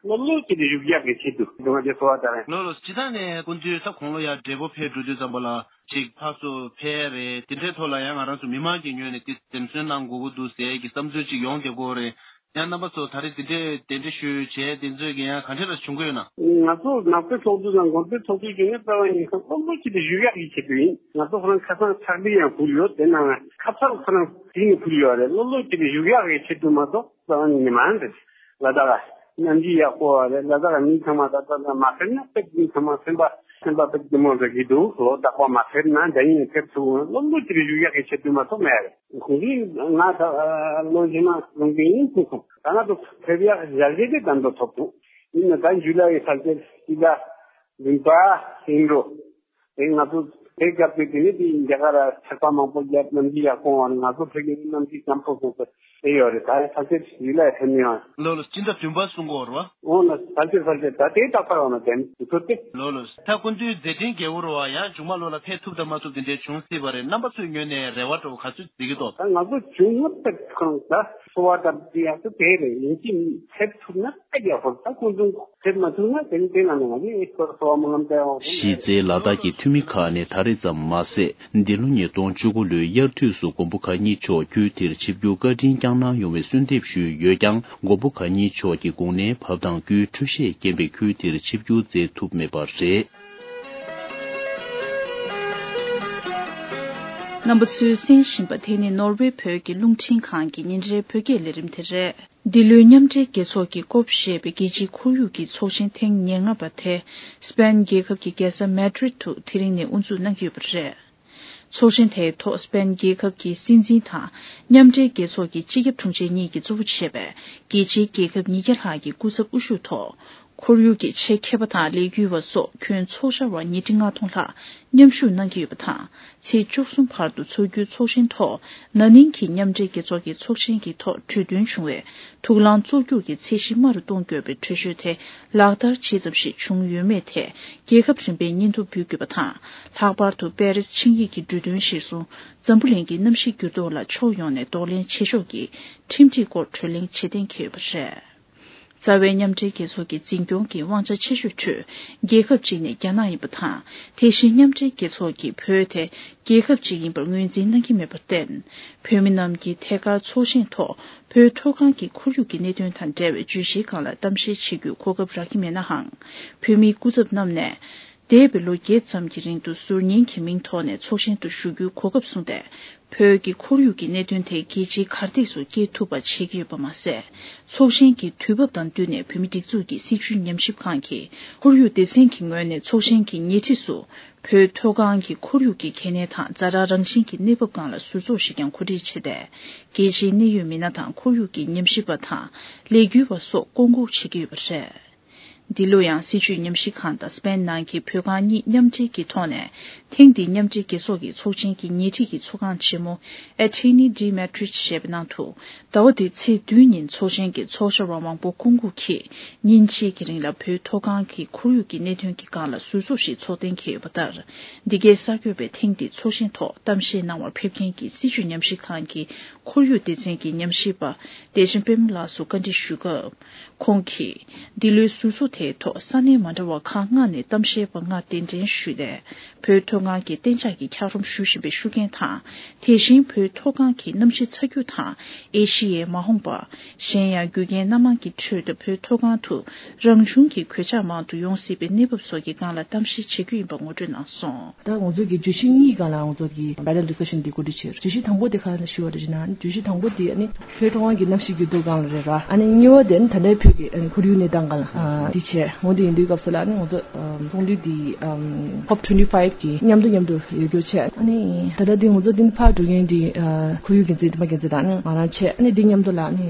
ལོ་ལོ་གཅིག་རེ་བཞུགས་ཡག་གི་ཆེད་དུ་སྡུག་བསྔལ་དེ་གསོལ་བ་བཏབ་པ་ཡིན། ལོ་ལོ་སྤྱི་བཏང་ནས་སྐུ་མདུན་ད་དགུང་ལོ་ཡར་བགྲེས་པོ་ཕེབས་འགྲོ་དུས་ཙམ་པ་ལ་ཅིག་ཕར་ཚུར་ཕེབས་རེད། དེ་འདྲའི་ཐོག་ལ་ཡང་ང་རང་ཚོ་མི་མང་གི་ངོས་ནས་དེ་འཛེམ་ཟོན་གནང་དགོས་ཀྱི་འདུག་ཟེར་གྱི་བསམ་ཚུལ་ཅིག་ཡོང་བསྡད་ཀྱི་ཡོད་རེད། ཡང་རྣམ་པ་ཚོ་ད་རེས་འདི་འདྲའི་གདན་འདྲེན་ཞུས་བྱས་དེ་ཚོའི་གི་ཡང་ག་འདྲ་ར་བྱུང་གི་ཡོད་ན། ང་ཚོ་ནང་པའི་ཚོགས་འདུ་དང་དགོན་པའི་ཚོགས་འདུ་བྱུང་ནས་རྩ་བ་ཉིད་ཁ་སློབ་ལོ་གཅིག་ཏུ་བཞུགས་ཡག་གི་ཆེད་དུ་ཡིན། ང་ཚོ་ཁོ་རང་ཁ་སང་ཕྱག་བྲིས་ཡང་ཕུལ་ཡོད། དེ་ནང་ཁ་ཚར་ཁོ་རང་བྲིས་ནས་ཕུལ་ཡོད་རེད། སློབ་ལོ་གཅིག་ཏུ་བཞུགས་ཡག་གི་ཆེད་དུ་མ་གཏོགས་རྩ་བ་ཉིད་ནས་མ་རེད། ལ་དྭགས་གནམ་གཤིས་ཡག་པོ་རེད། ལ་དྭགས་མི་ཚང་མ་ད་ལྟ་མ་ཕེབས་ན་དཔེ་མི་ཚང་མ་སེམས་པ་སེམས་པ་དཔེ་བདེ་མོ་འདྲ་གི་འདུག་ལོ་རྟག་པར་མ་ཕེབས་ན་འདི་ཉིན་ཕེབས་ཐུབ། སློབ་ལོ་གཅིག་ཏུ་བཞུགས་ཡག་གི་ཆེད་དུ་མ་གཏོགས་མེད་རེད། ཁོང་གིས་ང་ད་ལོ་རྗེས་མ་ལུང་པའི་ཡིན་ཐུག་སོང་། ད་ང་ཚོ་ཕེབས་ཡག་ཡར་རྒྱས་དེ་དམ་དུ་ཐོབ་འདུག་ཡིན་ན་ད་ཇུ་ལའི་ས་བཅད་སྤྱི་ཟླ་བདུན་པ་ཡིན་འགྲོ། དེ་ང་ཚོ་དེ་སྐབས་དེ་དེ་ནས་དེ་རྒྱ་གར་ཆར་པ་མང་པོ་བརྒྱབ། གནམ་གཤིས་ཡག་པོ་འོང་བ་ནས་ང་ཚོ་ཕ་གི་གནམ་གཤིས་སྐམ་པོ་སོང་ཚེ་དེ་ཡོད་རེད། ད་ས་བཅད་ཇུ་ལའི་ཐོན་ནས་ཡོང་། ལོ་ལོ་སྤྱི་ཟླ་བདུན་པ་གསུང་གི་ཡོད་རེད་བ། འོང་ན་ས་བཅད་ས་བཅད་ད་དེ་རྟག་པར་འོང་ན་དེ་ནས་དུས་ཚོད་དེ། ལོ་ལོ་ད་སྐུ་མདུན་མཛད་འཕྲིན་རྒྱས་པོ་རེད་བ། ཡང་མཇུག་མ་ལོ་ལ་ཕེབས་ཐུབ་དང་མ་ཐུབ་དེ་འདྲའི་བྱུང་སྲིད་པ་རེད། རྣམ་པ་ཚོའི་ངོས་ནས་རེ་བ་འདྲ་བོ་ག་ཚོད་བྱེད་ཀྱི་འདུག་ད་ང་ཚོ་བྱུང་ན་ད་གང་ད་གསོལ་བ་བཏབ་དེ་ཡག་ཐུབ་དེ་རེད། ཡིན་གཅིག་ཕེབས་ཐུབ་ན་ད་ཡག་པོ། ད་སྐུ་མདུན་ཕེབས་མ་ཐུབ་ན་དེ་ནི་དེ་ན་ནི་ང་ཚོས་གསོལ་བ་སྨོན་ལམ་བཏབ་ཡག་པོ། གཞི་རྩའི་ལ་དྭགས་ཀྱི་འཐུས་མི་ཁག་ནས་ད་རེས་ཙམ་མ་ཟད། འདི་ལོ་ཉིས་སྟོང་བཅུ་དགུ་ལོའི་དབྱར་དུས་སུ་མགོན་པོ་གང་ཉིད་མཆོག་ཁུལ་དེར་ཆིབས་བསྒྱུར་བཀའ་དྲིན་བསྐྱངས་གནང་ཡོང་བའི་གསོལ་འདེབས་ཞུས་ཡོད་ཀྱང་། མགོན་པོ་གང་ཉིད་མཆོག་གི་དགུང་ལོའི་བབས་དང་སྐུའི་འཕྲོད་བཞེས་རྐྱེན་པས་ཁུལ་དེར་ཆིབས་བསྒྱུར་མཛད་ཐུབ་མེད་པ་རེད། རྣམ་པ་ཚོས་གསན་བཞིན་པ་དེ་ནི་ནོར་ཝེ་བོད་ཀྱི་རླུང་འཕྲིན་ཁང་གི་ཉིན་རེའི་བོད་སྐད་ལས་རིམ་དེ་རེད། འདི་ལོའི་མཉམ་འབྲེལ་རྒྱལ་ཚོགས་ཀྱི་ཀོབ་ཞེས་པའི་རྒྱལ་སྤྱིའི་ཁོར་ཡུག་གི་ཚོགས་ཆེན་ཐེངས་ཉེར་ལྔ་པ་དེ་སི་པེན་རྒྱལ་ཁབ་ཀྱི་རྒྱལ་ས་མེ་ཏྲིད་དུ་དེ་རིང་ནས་དབུ་འཛུགས་གནང་གི་ཡོད་པ་རེད། ཚོགས་ཆེན་དེའི་ཐོག་སི་པེན་རྒྱལ་ཁབ་ཀྱི་སྲིད་འཛིན་དང་མཉམ་འབྲེལ་རྒྱལ་ཚོགས་ཀྱི་སྤྱི་ཁྱབ་དྲུང་ཆེ་གཉིས་ཀྱིས་གཙོ་བོ་བྱས་པའི་རྒྱལ་སྤྱིའི་རྒྱལ་ཁབ་ཉིས་བརྒྱ་ལྷག་གི་སྐུ་ཚབ་དབུ་བཞུགས་ཐོག་ཁོར་ཡུག་གི་ཆེད་མཁས་པ་དང་ལས་འགུལ་བ་སོགས་ཁྱོན་ཚོགས་བཅར་བ་ཉིས་ཁྲི་ལྔ་སྟོང་ལྷག་མཉམ་ཞུགས་གནང་གི་ཡོད་པ་དང་། ཚེས་བཅུ་གསུམ་བར་དུ་འཚོགས་རྒྱུའི་ཚོགས་ཆེན་ཐོག་ན་ནིང་གི་མཉམ་འབྲེལ་རྒྱལ་ཚོགས་ཀྱི་ཚོགས་ཆེན་གྱི་ཐོག་གྲོས་མཐུན་བྱུང་བའི་དུག་རླངས་བཙོག་འགྱུར་གྱི་ཚད་གཞི་དམའ་རུ་གཏོང་དགོས་པའི་གྲོས་ཆོད་དེ་ལག་བསྟར་ཇི་ཙམ་ཞིག་བྱུང་ཡོད་མེད་ཐད་རྒྱལ་ཁབ་རིམ་པས་སྙན་ཐོ་འབུལ་དགོས་པ་དང་། ལྷག་པར་དུ་པེ་རིས་ཆིངས་ཡིག་གི་གྲོས་མཐུན་གཞིར་བཟུང་འཛམ་བུ་གླིང་གི་གནམ་གཤིས་འགྱུར་ལྡོག་ལ་ཕྱོགས་ཡོངས་ནས་གདོང་ལེན་བྱེད་ཕྱོགས་ཀྱི་ཁྲིམས་སྒྲིག་སྐོར་གྲོས་གླེང་བྱེད་གཏན་འཁེལ་ཡོད་པ་རེད། རྩ་བའི་མཉམ་འབྲེལ་རྒྱལ་ཚོགས་ཀྱི་འཛིན་སྐྱོང་གི་དབང་ཆ་ཆེ་ཤོས་ཁྲོད་རྒྱལ་ཁབ་གཅིག་ནི་རྒྱ་ནག་ཡིན་པ་དང་། དེ་བཞིན་མཉམ་འབྲེལ་རྒྱལ་ཚོགས་ཀྱིས་བོད་དེ་རྒྱལ་ཁབ་གཅིག་ཡིན་པར་ངོས་འཛིན་གནང་གི་མེད་པར་བརྟེན། བོད་མི་རྣམས་ཀྱིས་ཐད་ཀར་ཚོགས་ཆེན་ཐོག་བོད་མཐོ་སྒང་གི་ཁོར་ཡུག་གི་གནད་དོན་དང་འབྲེལ་བའི་བརྗོད་གཞིའི་སྒང་ལ་གཏམ་བཤད་བྱེད་རྒྱུའི་གོ་སྐབས་རག་གི་མེད་ནའང་། བོད་མིའི་སྐུ་ཚབ་རྣམས་ནས། འདས་པའི་ལོ་བརྒྱད་ཙམ་གྱི་རིང་དུ་ཟུར་ཉན་གྱི་མིང་ཐོག་ནས་ཚོགས་ཆེན་དུ་ཞུགས་རྒྱུའི་གོ་སྐབས་བཟུང་སྟེ། བོད་ཀྱི་ཁོར་ཡུག་གི་གནད་དོན་དེ་རྒྱལ་སྤྱིའི་གར་སྟེགས་སུ་སྐྱེལ་ཐུབ་པ་བྱེད་ཀྱི་ཡོད་པ་མ་ཟད། ཚོགས་ཆེན་གྱི་དུས་བབ་དང་བསྟུན་ནས་བོད་མིའི་སྒྲིག་འཛུགས་ཀྱི་སྲིད་བྱུས་ཉམས་ཞིབ་ཁང་གིས་ཁོར་ཡུག་སྡེ་ཚན་གྱི་ངོས་ནས་ཚོགས་ཆེན་གྱི་ཉེ་འཁྲིས་སུ་བོད་མཐོ་སྒང་གི་ཁོར་ཡུག་གི་གལ་གནད་དང་ཛ་དྲག་རང་བཞིན་གྱི་གནས་བབ་སྒང་ལ་ཟུར་ཚོགས་ཤིག་ཀྱང་གོ་སྒྲིག་བྱས་ཏེ། རྒྱལ་སྤྱིའི་གནད་ཡོད་མི་སྣ་དང་ཁོར་ཡུག་གི་ཉམས་ཞིབ་པ་དང་ལས་འགུལ་བ་སོགས་བསྐོང་འགུག་བྱེད་ཀྱི་ཡོད་པ་རེད། འདི་ལོ་ཡང་སྲིད་བྱུས་ཉམས་ཞིབ་ཁང་དང་སི་པེན་ནང་གི་བོད་ཁང་གཉིས་མཉམ་འབྲེལ་གྱི་ཐོག་ནས། ཐེངས་འདིའི་མཉམ་འབྲེལ་རྒྱལ་ཚོགས་ཀྱི་ཚོགས་ཆེན་གྱི་ཉེ་འཁྲིས་ཀྱི་ཚོགས་ཁང་ཆེན་མོ་Athénée de Maastricht ཞེས་པའི་ནང་དུ། ཟླ་བ་འདིའི་ཚེས་བདུན་ཉིན་ཚོགས་ཆེན་གྱི་ཚོགས་བཅར་བ་མང་པོ་སྐུ་འགོད་ཀྱིས་ཉིན་གཅིག་གི་རིང་ལ་བོད་མཐོ་སྒང་གི་ཁོར་ཡུག་གི་གནད་དོན་གྱི་སྒང་ལ་ཟུར་ཚོགས་ཤིག་ཚོགས་གཏན་འཁེལ་ཡོད་པ་ལྟར། འདི་གའི་གསར་འགོད་པས་ཐེངས་འདིའི་ཚོགས་ཆེན་ཐོག་གཏམ་བཤད་གནང་བར་ཕེབས་མཁན་གྱི་སྲིད་བྱུས་ཉམས་ཞིབ་ཁང་གི་ཁོར་ཡུག་སྡེ་ཚན་གྱི་ཉམས་ཞིབ་པ་བདེ་ཆེན་པད་མ་ལགས་སུ་བཀའ་འདྲི་ཞུས་སྐབས། ཁོང་གིས། འདི་ལོའི་ཟུར་ཚོགས་དེའི་ཐོག་ས་གནས་མ་འདྲ་བ་ཁག་ལྔ་ནས་གཏམ་བཤད་པ་ལྔ་གདན་འདྲེན་ཞུས་ཏེ། བོད་མཐོ་སྒང་གི་གཏན་འཇགས་ཀྱི་འཁྱགས་རོམ་ཞུ་བཞིན་པའི་ཤུགས་རྐྱེན་དང་། དེ་བཞིན་བོད་མཐོ་སྒང་གི་གནམ་གཤིས་ཚ་རྒྱུ་དང་། ཨེ་ཤི་ཡའི་མ་འོངས་པ། གཞན་ཡང་རྒྱུ་རྐྱེན་སྣ་མང་གི་ཁྲོད་དུ་བོད་མཐོ་སྒང་དུ་རང་བྱུང་གི་གོད་ཆག་མང་དུ་ཡོང་སྲིད་པའི་གནས་བབ་སོགས་ཀྱི་སྒང་ལ་གཏམ་བཤད་བྱེད་རྒྱུ་ཡིན་པ་ངོ་སྤྲོད་གནང་སོང་། ད་ང་ཚོ་གི་བརྗོད་གཞི་གཉིས་སྒང་ལ་ང་ཚོ་གི་panel discussion འདི་གོ་སྒྲིག་བྱས། བརྗོད་གཞི་དང་པོ་དེ་ག་རེ་ཞུ་བ་རེད་ཟེར་ན། བརྗོད་གཞི་དང་པོ་དེ་ཨ་ནི་བོད་མཐོ་སྒང་གི་གནམ་གཤིས་འགྱུར་ལྡོག་སྒང་ལ་རེད་ར། ཨ་ནི་གཉིས་པ་དེ་ཨ་ནི་ད་ལྟའི་བོད་ཀྱི་ཨ་ནི་ཁོར་ཡུག་གནས་སྟངས་སྒང་ལ་ཨ་འདི་བྱས། འོ་དེ་ཡིན་དུས་སྐབས་སུ་ལ་ཨ་ནི་ང་ཚོ་ཨ་ཚོགས་འདུ་འདི་ཨམ་ཁོབ་ཊུ་ཝེན་ཊི་ཕའིབ་གི་མཉམ་དུ་མཉམ་དུ་ཡོད་རྒྱུ་བྱས། ཨ་ནི་ད་ལྟ་འདི་ང་ཚོ་འདི་ཕར་འགྲོ་མཁན་འདི་ཨ་ཁོར་ཡུག་འགན་འཛིན་འདི་མ་འགན་འཛིན་དང་ཨ་ནི་ང་རང་བྱས། ཨ་ནི་འདི་མཉམ་དུ་ལ་ཨ་ནི་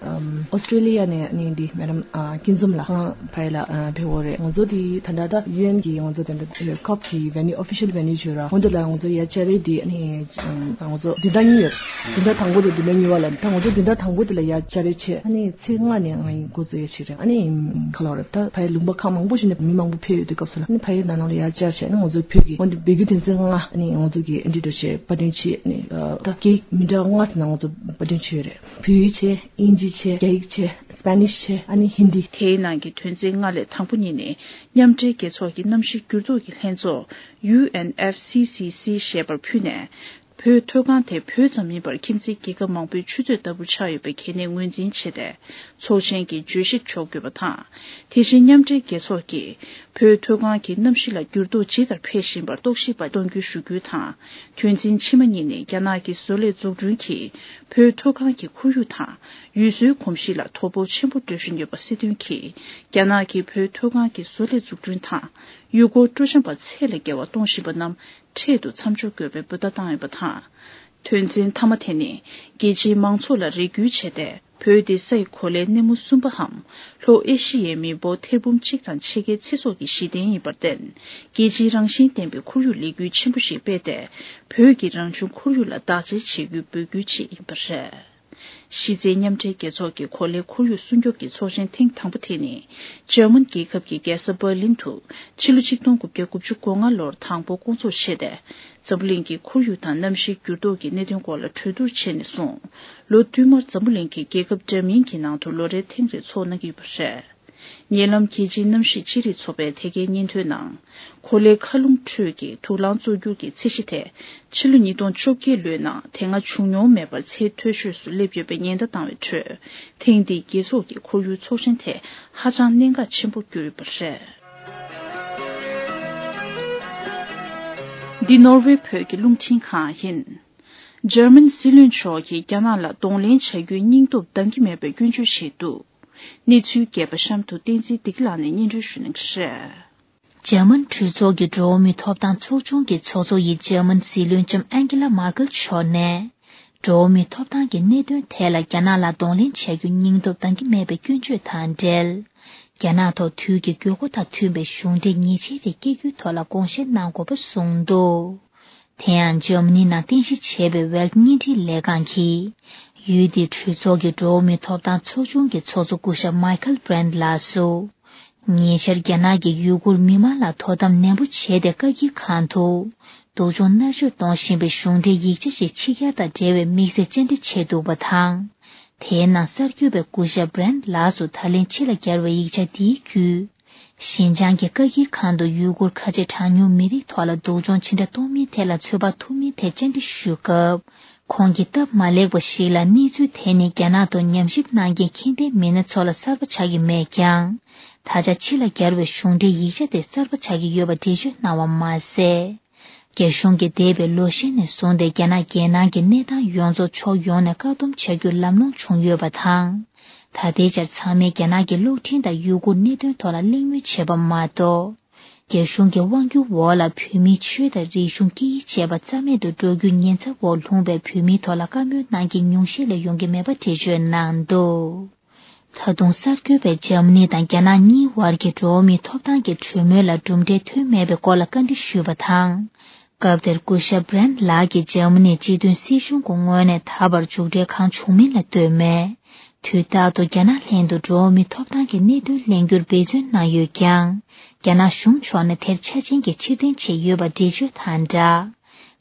ཨམ་ཨོ་སི་ཀྲེ་ལི་ཡ་ནས་ཨ་ནི་འདི་མེ་ཌམ་ཨ་སྐྱིད་འཛོམས་ལགས་ཁོང་ཕ་ཡུལ་ལ་ཨ་ཕེབས་ཡོད་རེད། ང་ཚོ་དེ་ད་ལྟ་ད་ཡུ་ཨེན་གི་ང་ཚོ་དེ་འདྲ་ཁོབ་ཀྱི་venue official venue བྱོས་ར། ཧོན་དུ་ལ་ང་ཚོ་ཡ་བཅར་རེས་དེ་ཨ་ནི་ང་ཚོ་བདུན་ཕྲག་གཉིས་ཡོད། བདུན་ཕྲག་དང་པོ་དང་བདུན་ཕྲག་གཉིས་པ་ལ་ད་ང་ཚོ་བདུན་ཕྲག་དང་པོ་དེ་ལ་ཡ་བཅར་རེས་བྱས། ཨ་ནི་ཚེས་ལྔ་ནས་ང་ཡི་འགོ་བཙུགས་ཡ་ཞིག་རེད། ཨ་ནི་ག་ལ་རེད། ད་ཕ་ཡུལ་ལུང་པ་ཁག་མང་པོ་ཞིག་ནས་མི་མང་པོ་ཕེབས་ཡོད་དུས་སྐབས་སུ་ལ་ཨ་ནི་ཕ་ཡུལ་ནང་ལ་ཡ་བཅར་བྱས། ཨ་ནི་ང་ཚོ་བོད་ཀྱི་ཧོན་དུ་བོད་བརྒྱུད་དོན་ཚན་ལྔ་ཨ་ནི་ང་ཚོ་གི་ཨེ་འདྲི་འགྲོ་བྱས་པར་སྐྲུན་བྱས། ཨ་ནི་ད་སྐད་མི་འདྲ་ལྔ་ཙམ་ནང་ང་ཚོ་པར་སྐྲུན་བྱས་ཡོད་རེད། བོད་ཡིག་བྱས། དབྱིན་ཇི་བྱས། རྒྱ་ཡིག་བྱས། སྤེ་ནིཤ་བྱས། ཨ་ནི་ཧིན་དི། དེའི་ནང་གི་དོན་ཚན་ལྔ་ལས་དང་པོ་གཉིས་ནི་མཉམ་འབྲེལ་རྒྱལ་ཚོགས་ཀྱི་གནམ་གཤིས་འགྱུར་ལྡོག་གི་ལྷན་ཚོགས་ཡུ་ཨེན་ཨེཕ་སི་སི་སི་ཞེས་པར་ཕུལ་ནས། བོད་མཐོ་སྒང་དེ་བོད་ཙམ་མིན་པར་ཁྱིམ་མཚེས་རྒྱལ་ཁབ་མང་པོའི་ཆུ་མཛོད་ལྟ་བུར་ཆགས་ཡོད་པའི་གལ་གནད་ངོས་འཛིན་བྱས་ཏེ། ཚོགས་ཆེན་གྱི་བརྗོད་གཞིར་འཇོག་དགོས་པ་དང་། དེ་བཞིན་མཉམ་འབྲེལ་རྒྱལ་ཚོགས་ཀྱིས་བོད་མཐོ་སྒང་གི་གནམ་གཤིས་ལ་འགྱུར་ལྡོག་ཇི་ལྟར་འཕེལ་བཞིན་པར་རྟོག་ཞིབ་པ་གཏོང་རྒྱུ་ཞུ་རྒྱུ་དང་། དོན་ཚན་ཕྱི་མ་གཉིས་ནི་རྒྱ་ནག་གི་བཟོ་ལས་འཛུགས་སྐྲུན་གྱིས་བོད་མཐོ་སྒང་གི་ཁོར་ཡུག་དང་ཡུལ་སྲོལ་གོམས་གཤིས་ལ་དོ་ཕོག་ཆེན་པོ་འགྲོ་བཞིན་ཡོད་པ་སྲིད་དོན་གྱིས་རྒྱ་ནག་གིས་བོད་མཐོ་སྒང་གི་བཟོ་ལས་འཛུགས་སྐྲུན་དང་ཡུལ་སྐོར་སྤྲོ་འཆམ་པ་ཚད་ལས་བརྒལ་བ་གཏོང་བཞིན་པ་རྣམས་འཕྲལ་དུ་མཚམས་འཇོག་དགོས་པའི་འབོད་བརྡ་བཏང་ཡོད་པ་དང་། དོན་ཚན་མཐའ་མ་དེ་ནི་རྒྱལ་སྤྱིའི་མང་ཚོགས་ལ་རེ་སྐུལ་བྱས་ཏེ། བོད་དེ་སའི་གོ་ལའི་སྣེ་མོ་གསུམ་པའམ་ལྷོ་ཨེ་ཤི་ཡའི་མི་འབོར་ཐེར་འབུམ་གཅིག་དང་ཕྱེད་ཀའི་ཚེ་སྲོག་གི་གཞི་རྟེན་ཡིན་པར་བརྟེན། རྒྱལ་སྤྱིའི་རང་བཞིན་ལྡན་པའི་ཁོར་ཡུག་ལས་འགུལ་ཆེན་པོ་ཞིག་སྤེལ་ཏེ། བོད་ཀྱི་རང་བྱུང་ཁོར་ཡུག་ལ་བདག་གཅེས་བྱེད་རྒྱུའི་འབོད་སྐུལ་ཅིག་ཡིན་པ་རེད། གཞི་རྩའི་མཉམ་འབྲེལ་རྒྱལ་ཚོགས་ཀྱི་གོ་ལའི་ཁོར་ཡུག་སྲུང་སྐྱོབ་ཀྱི་ཚོགས་ཆེན་ཐེངས་དང་པོ་དེ་ནི། འཇར་མན་རྒྱལ་ཁབ་ཀྱི་རྒྱལ་ས་འབར་ལིན་དུ་ཕྱི་ལོ་ཆིག་སྟོང་དགུ་བརྒྱ་དགུ་བཅུ་གོ་ལྔ་ལོར་དང་པོ་བསྐོང་ཚོགས་བྱས་ཏེ། འཛམ་བུ་གླིང་གི་ཁོར་ཡུག་དང་གནམ་གཤིས་འགྱུར་ལྡོག་གི་གནད་དོན་སྐོར་ལ་གྲོས་བསྡུར་བྱས་ནས་བཟུང་། ལོ་བསྟུད་མར་འཛམ་བུ་གླིང་གི་རྒྱལ་ཁབ་འདྲ་མིན་གྱི་ནང་དུ་ལོ་རེར་ཐེངས་རེ་ཚོགས་གནང་གི་ཡོད་པ་རེད། ཉེ་ལམ་རྒྱལ་སྤྱིའི་གནམ་གཤིས་ཅི་རིགས་ཚོགས་པས་དེ་གའི་སྙན་ཐོའི་ནང་། གོ་ལའི་མཁའ་རླུང་ཁྲོད་ཀྱི་དུག་རླངས་བཙོག་འགྱུར་གྱི་ཚད་གཞི་དེ། ཕྱི་ལོ་ཉིས་སྟོང་བཅོ་བརྒྱད་ལོའི་ནང་དེ་སྔ་བྱུང་མྱོང་མེད་པར་ཚད་མཐོ་ཤོས་སུ་སླེབས་ཡོད་པའི་ཉེན་བརྡ་བཏང་བའི་ཁྲོད། ཐེངས་འདིའི་རྒྱལ་ཚོགས་ཀྱི་ཁོར་ཡུག་ཚོགས་ཆེན་དེ་ཧ་ཅང་གནད་འགག་ཆེན་པོར་གྱུར་ཡོད་པ་རེད། འདི་ནོར་ཝེ་བོད་ཀྱི་རླུང་འཕྲིན་ཁང་ཡིན། འཇར་མན་སྲིད་བློན་མཆོག་གིས་རྒྱ་ནག་ལ་གདོང་ལེན་བྱ་རྒྱུའི་སྙིང་སྟོབས་འདང་གི་མེད་པའི་སྐྱོན་བརྗོད་བྱས་འདུག་གནས་ཚུལ་རྒྱས་པ་གཤམ་དུ་བསྟན་འཛིན་བདེ་སྐྱིད་ལགས་ནས་སྙན་སྒྲོན་ཞུ་གནང་གི་རེད། འཇར་མན་གྲོས་ཚོགས་ཀྱི་འགྲོ་བ་མིའི་ཐོབ་ཐང་ཚོགས་ཆུང་གི་ཚོགས་གཙོ་ཡི་འཇར་མན་སྲིད་བློན་ལྕམ་ཨན་ཀེ་ལ་མར་ཀེལ་མཆོག་ནས། འགྲོ་བ་མིའི་ཐོབ་ཐང་གི་གནད་དོན་ཐད་ལ་རྒྱ་ནག་ལ་གདོང་ལེན་བྱ་རྒྱུ་སྙིང་སྟོབས་འདང་གི་མེད་པའི་སྐྱོན་བརྗོད་དང་འབྲེལ། རྒྱ་ནག་ཐོག་དུས་ཀྱི་དགོས་མཁོ་དང་མཐུན་པའི་གཞུང་འབྲེལ་ཉེས་ཆད་རེ་བཀལ་རྒྱུའི་ཐོག་ལ་དགོངས་བཞེས་གནང་དགོས་པ་གསུངས་འདུག་དེ་ཡང་འཇར་མ་ནི་ནང་རྟེན་གཞི་བྱས་པའི་ཝེལ་བརྙན་འཕྲིན་ལས་ཁང་གིས། ཡུལ་དེའི་གྲོས་ཚོགས་ཀྱི་འགྲོ་བ་མིའི་ཐོབ་ཐང་ཚོགས་ཆུང་གི་ཚོགས་གཙོ་སྐུ་ཞབས་མའི་ཁལ་བྷྲན་ལགས་སུ། ཉེ་ཆར་རྒྱ་ནག་གིས་ཡུ་གུར་མི་མང་ལ་དོ་དམ་ནན་པོ་བྱས་ཏེ་བཀའ་འགྱུར་ཁང་དུ། སྡུག་སྦྱོང་མནར་གཅོད་གཏོང་བཞིན་པའི་གཞུང་འབྲེལ་ཡིག་ཆ་ཞིག་ཕྱི་གྱར་དང་འབྲེལ་བའི་དམིགས་བསལ་བཅར་འདྲི་བྱས་འདུག་པ་དང་། དེའི་ནང་གསར་འགོད་པས་སྐུ་ཞབས་བྷྲན་ལགས་སུ་ད་ལན་ཕྱི་ལ་གྱར་བའི་ཡིག་ཆ་འདིའི་བརྒྱུད། ཞིན་ཅང་གི་བཀའ་འགྱུར་ཁང་དུ་ཡུ་གུར་ཁ་ཆེ་གྲངས་ཉུང་མི་རིགས་ཐོག་ལ་སྡུག་སྦྱོང་ཇི་འདྲ་གཏོང་མིན་ཐད་ལ་ཚོད་དཔག་ཐུབ་མིན་ཐད་བཅར་འདྲི་ཞུས་སྐབས། ཁོང་གིས་སྟབས་མ་ལེགས་པ་ཞིག་ལ་གནས་ཚུལ་དེ་ནི་རྒྱ་ནག་ཐོག་ཉམས་ཞིབ་གནང་མཁན་ཁྱད་ལྡན་མི་སྣ་ཚོ་ལ་གསར་པ་ཆགས་ཀྱི་མེད་ཀྱང་། ད་ཆ་ཕྱི་ལ་གྱར་བའི་གཞུང་འབྲེལ་ཡིག་ཆ་དེ་གསར་པ་ཆགས་ཀྱི་ཡོད་པ་འགྲེལ་བརྗོད་གནང་བ་མ་ཟད། རྒྱ་གཞུང་གིས་འདས་པའི་ལོ་ཤས་ནས་བཟུང་སྟེ་རྒྱ་ནག་རྒྱལ་ནང་གི་གནས་སྟངས་ཡོངས་རྫོགས་ཕྱོགས་ཡོངས་ནས་བཀག་སྡོམ་བྱ་རྒྱུ་ལམ་ལྷོང་བྱུང་ཡོད་པ་དང་། ད་ལྟའི་ཆར་ཚང་མས་རྒྱ་ནག་གི་གློག་འཕྲིན་དང་ཡུ་གུར་གནད་དོན་ཐོག་ལ་གླེང་མོལ་བྱས་པ་མ་གཏོགས། རྒྱ་གཞུང་གི་དབང་སྒྱུར་འོག་ལ་བོད་མིའི་ཆོས་དང་རིག་གཞུང་སྐད་ཡིག་བཅས་པ་རྩ་མེད་དུ་འགྲོ་རྒྱུའི་ཉེན་ཚབས་འོག་ལྷུང་བའི་བོད་མིའི་ཐོག་ལ་བཀའ་མོལ་གནང་མཁན་ཉུང་ཤས་ལས་ཡོང་གི་མེད་པ་འགྲེལ་བརྗོད་གནང་འདུག་ད་དུང་གསར་འགོད་པས་འཇར་མ་ནི་དང་རྒྱ་ནག་གཉིས་བར་གྱི་འགྲོ་བ་མིའི་ཐོབ་ཐང་གི་གྲོས་མོལ་ལ་གྲུབ་འབྲས་ཐོན་མེད་པའི་སྐོར་ལ་བཀའ་འདྲི་ཞུས་པ་དང་། སྐབས་དེར་སྐུ་ཞབས་བྷི་རན་ལགས་ཀྱིས་འཇར་མ་ནིའི་སྤྱི་མཐུན་སྲིད་གཞུང་གི་ངོས་ནས་ད་བར་མཇུག་འབྲས་གང་བྱུང་མིན་ལ་ལྟོས་མེད། དུས་རྟག་ཏུ་རྒྱ་ནག་ལྷན་དུ་འགྲོ་བ་མིའི་ཐོབ་ཐང་གི་གནད་དོན་གླེང་རྒྱུར་འབད་བརྩོན་གནང་ཡོད་ཀྱང་། རྒྱ་ནག་གཞུང་ཕྱོགས་ནས་དེར་ཆ་རྐྱེན་གྱིས་ཕྱིར་འཐེན་བྱས་ཡོད་པ་འགྲེལ་བརྗོད་དང་སྦྲགས།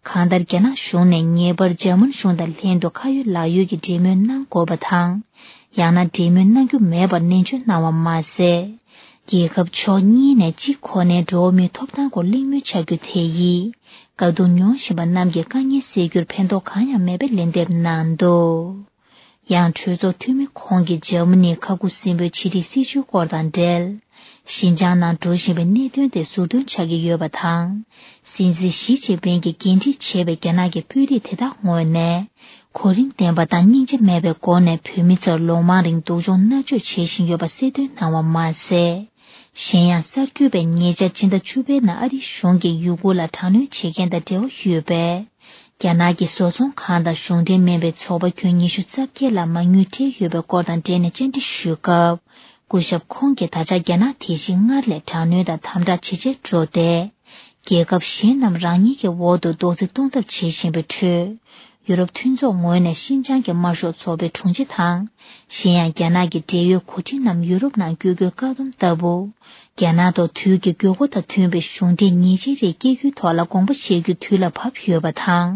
གང་ལྟར་རྒྱ་ནག་གཞུང་ནས་ངེས་པར་འཇར་མན་གཞུང་དང་ལྷན་དུ་ཁ་ཡོད་ལག་ཡོད་ཀྱི་འབྲེལ་མོལ་གནང་དགོས་པ་དང་། ཡང་ན་འབྲེལ་མོལ་གནང་རྒྱུ་མེད་པར་ནན་བརྗོད་གནང་བ་མ་ཟད། རྒྱལ་ཁབ་ཕྱོགས་གཉིས་ནས་གཅིག་ཁོ་ནའི་འགྲོ་བ་མིའི་ཐོབ་ཐང་སྐོར་གླེང་མོལ་བྱ་རྒྱུ་དེ་ཡིས། དཀའ་སྡུག་མྱོང་བཞིན་པ་རྣམས་ཀྱི་དཀའ་ངལ་སེལ་རྒྱུར་ཕན་ཐོགས་གང་ཡང་མེད་པའི་ལན་འདེབས་གནང་འདུག་ཡང་གྲོས་ཚོགས་འཐུས་མི་ཁོང་གིས་འཇར་མ་ནིའི་ཁ་ཁུ་སིམ་པོའི་ཕྱི་འབྲེལ་སྲིད་བྱུས་སྐོར་དང་འབྲེལ། ཞིན་ཅང་ནང་འགྲོ་བཞིན་པའི་གནད་དོན་དེ་ཟུར་འདོན་བྱ་གི་ཡོད་པ་དང་། སྲིད་འཛིན་ཞི་ཅིན་ཕིང་གིས་འགན་འཁྲི་བྱས་པའི་རྒྱ་ནག་གི་དཔོན་རིགས་དེ་དག་ངོས་ནས། གོ་རིམ་ལྡན་པ་དང་སྙིང་རྗེ་མེད་པའི་སྒོ་ནས་བོད་མི་ཚོར་ལོ་མང་རིང་སྡུག་སྦྱོང་མནར་གཅོད་བྱེད་བཞིན་ཡོད་པ་གསལ་སྟོན་གནང་བ་མ་ཟད། གཞན་ཡང་གསར་འགོད་པས་ཉེ་ཆར་སྤྱི་ཟླ་བཅུ་པའི་ནང་ཨ་རིའི་གཞུང་གིས་ཡུ་གུར་ལ་དྲག་གནོན་བྱེད་མཁན་དང་འབྲེལ་བ་ཡོད་པའི། རྒྱ་ནག་གི་བཟོ་ཚོང་ཁང་དང་གཞུང་འབྲེལ་མིན་པའི་ཚོགས་པ་ཁྱོན་ཉི་ཤུ་རྩ་བརྒྱད་ལ་མ་དངུལ་སྤྲད་ཡོད་པའི་སྐོར་དང་འབྲེལ་ནས་བཅར་འདྲི་ཞུས་སྐབས། སྐུ་ཞབས་ཁོང་གིས་ད་ཆ་རྒྱ་ནག་དེ་བཞིན་སྔར་ལས་དྲག་གནོན་དང་དམ་དྲག་ཇེ་ཆེར་འགྲོ་སྟེ། རྒྱལ་ཁབ་གཞན་རྣམས་རང་ཉིད་ཀྱི་འོག་ཏུ་རྡོག་རྫིས་གཏོང་ཐབས་བྱེད་བཞིན་པའི་ཁྲོད། ཡུ་རོབ་མཐུན་ཚོགས་ངོས་ནས་ཤིན་ཅང་གི་དམར་ཤོག་ཚོགས་པའི་དྲུང་ཆེ་དང་། གཞན་ཡང་རྒྱ་ནག་གི་འབྲེལ་ཡོད་འགོ་ཁྲིད་རྣམས་ཡུ་རོབ་ནང་བསྐྱོད་རྒྱུར་བཀག་སྡོམ་ལྟ་བུ། རྒྱ་ནག་ཐོག་དུས་ཀྱི་དགོས་མཁོ་དང་མཐུན་པའི་གཞུང་འབྲེལ་ཉེས་ཆད་རིགས་སྐྱེལ་རྒྱུའི་ཐོག་ལ་དགོངས་པ་བཞེས་རྒྱུ་དུས་ལ་བབ་ཡོད་པ་དང་།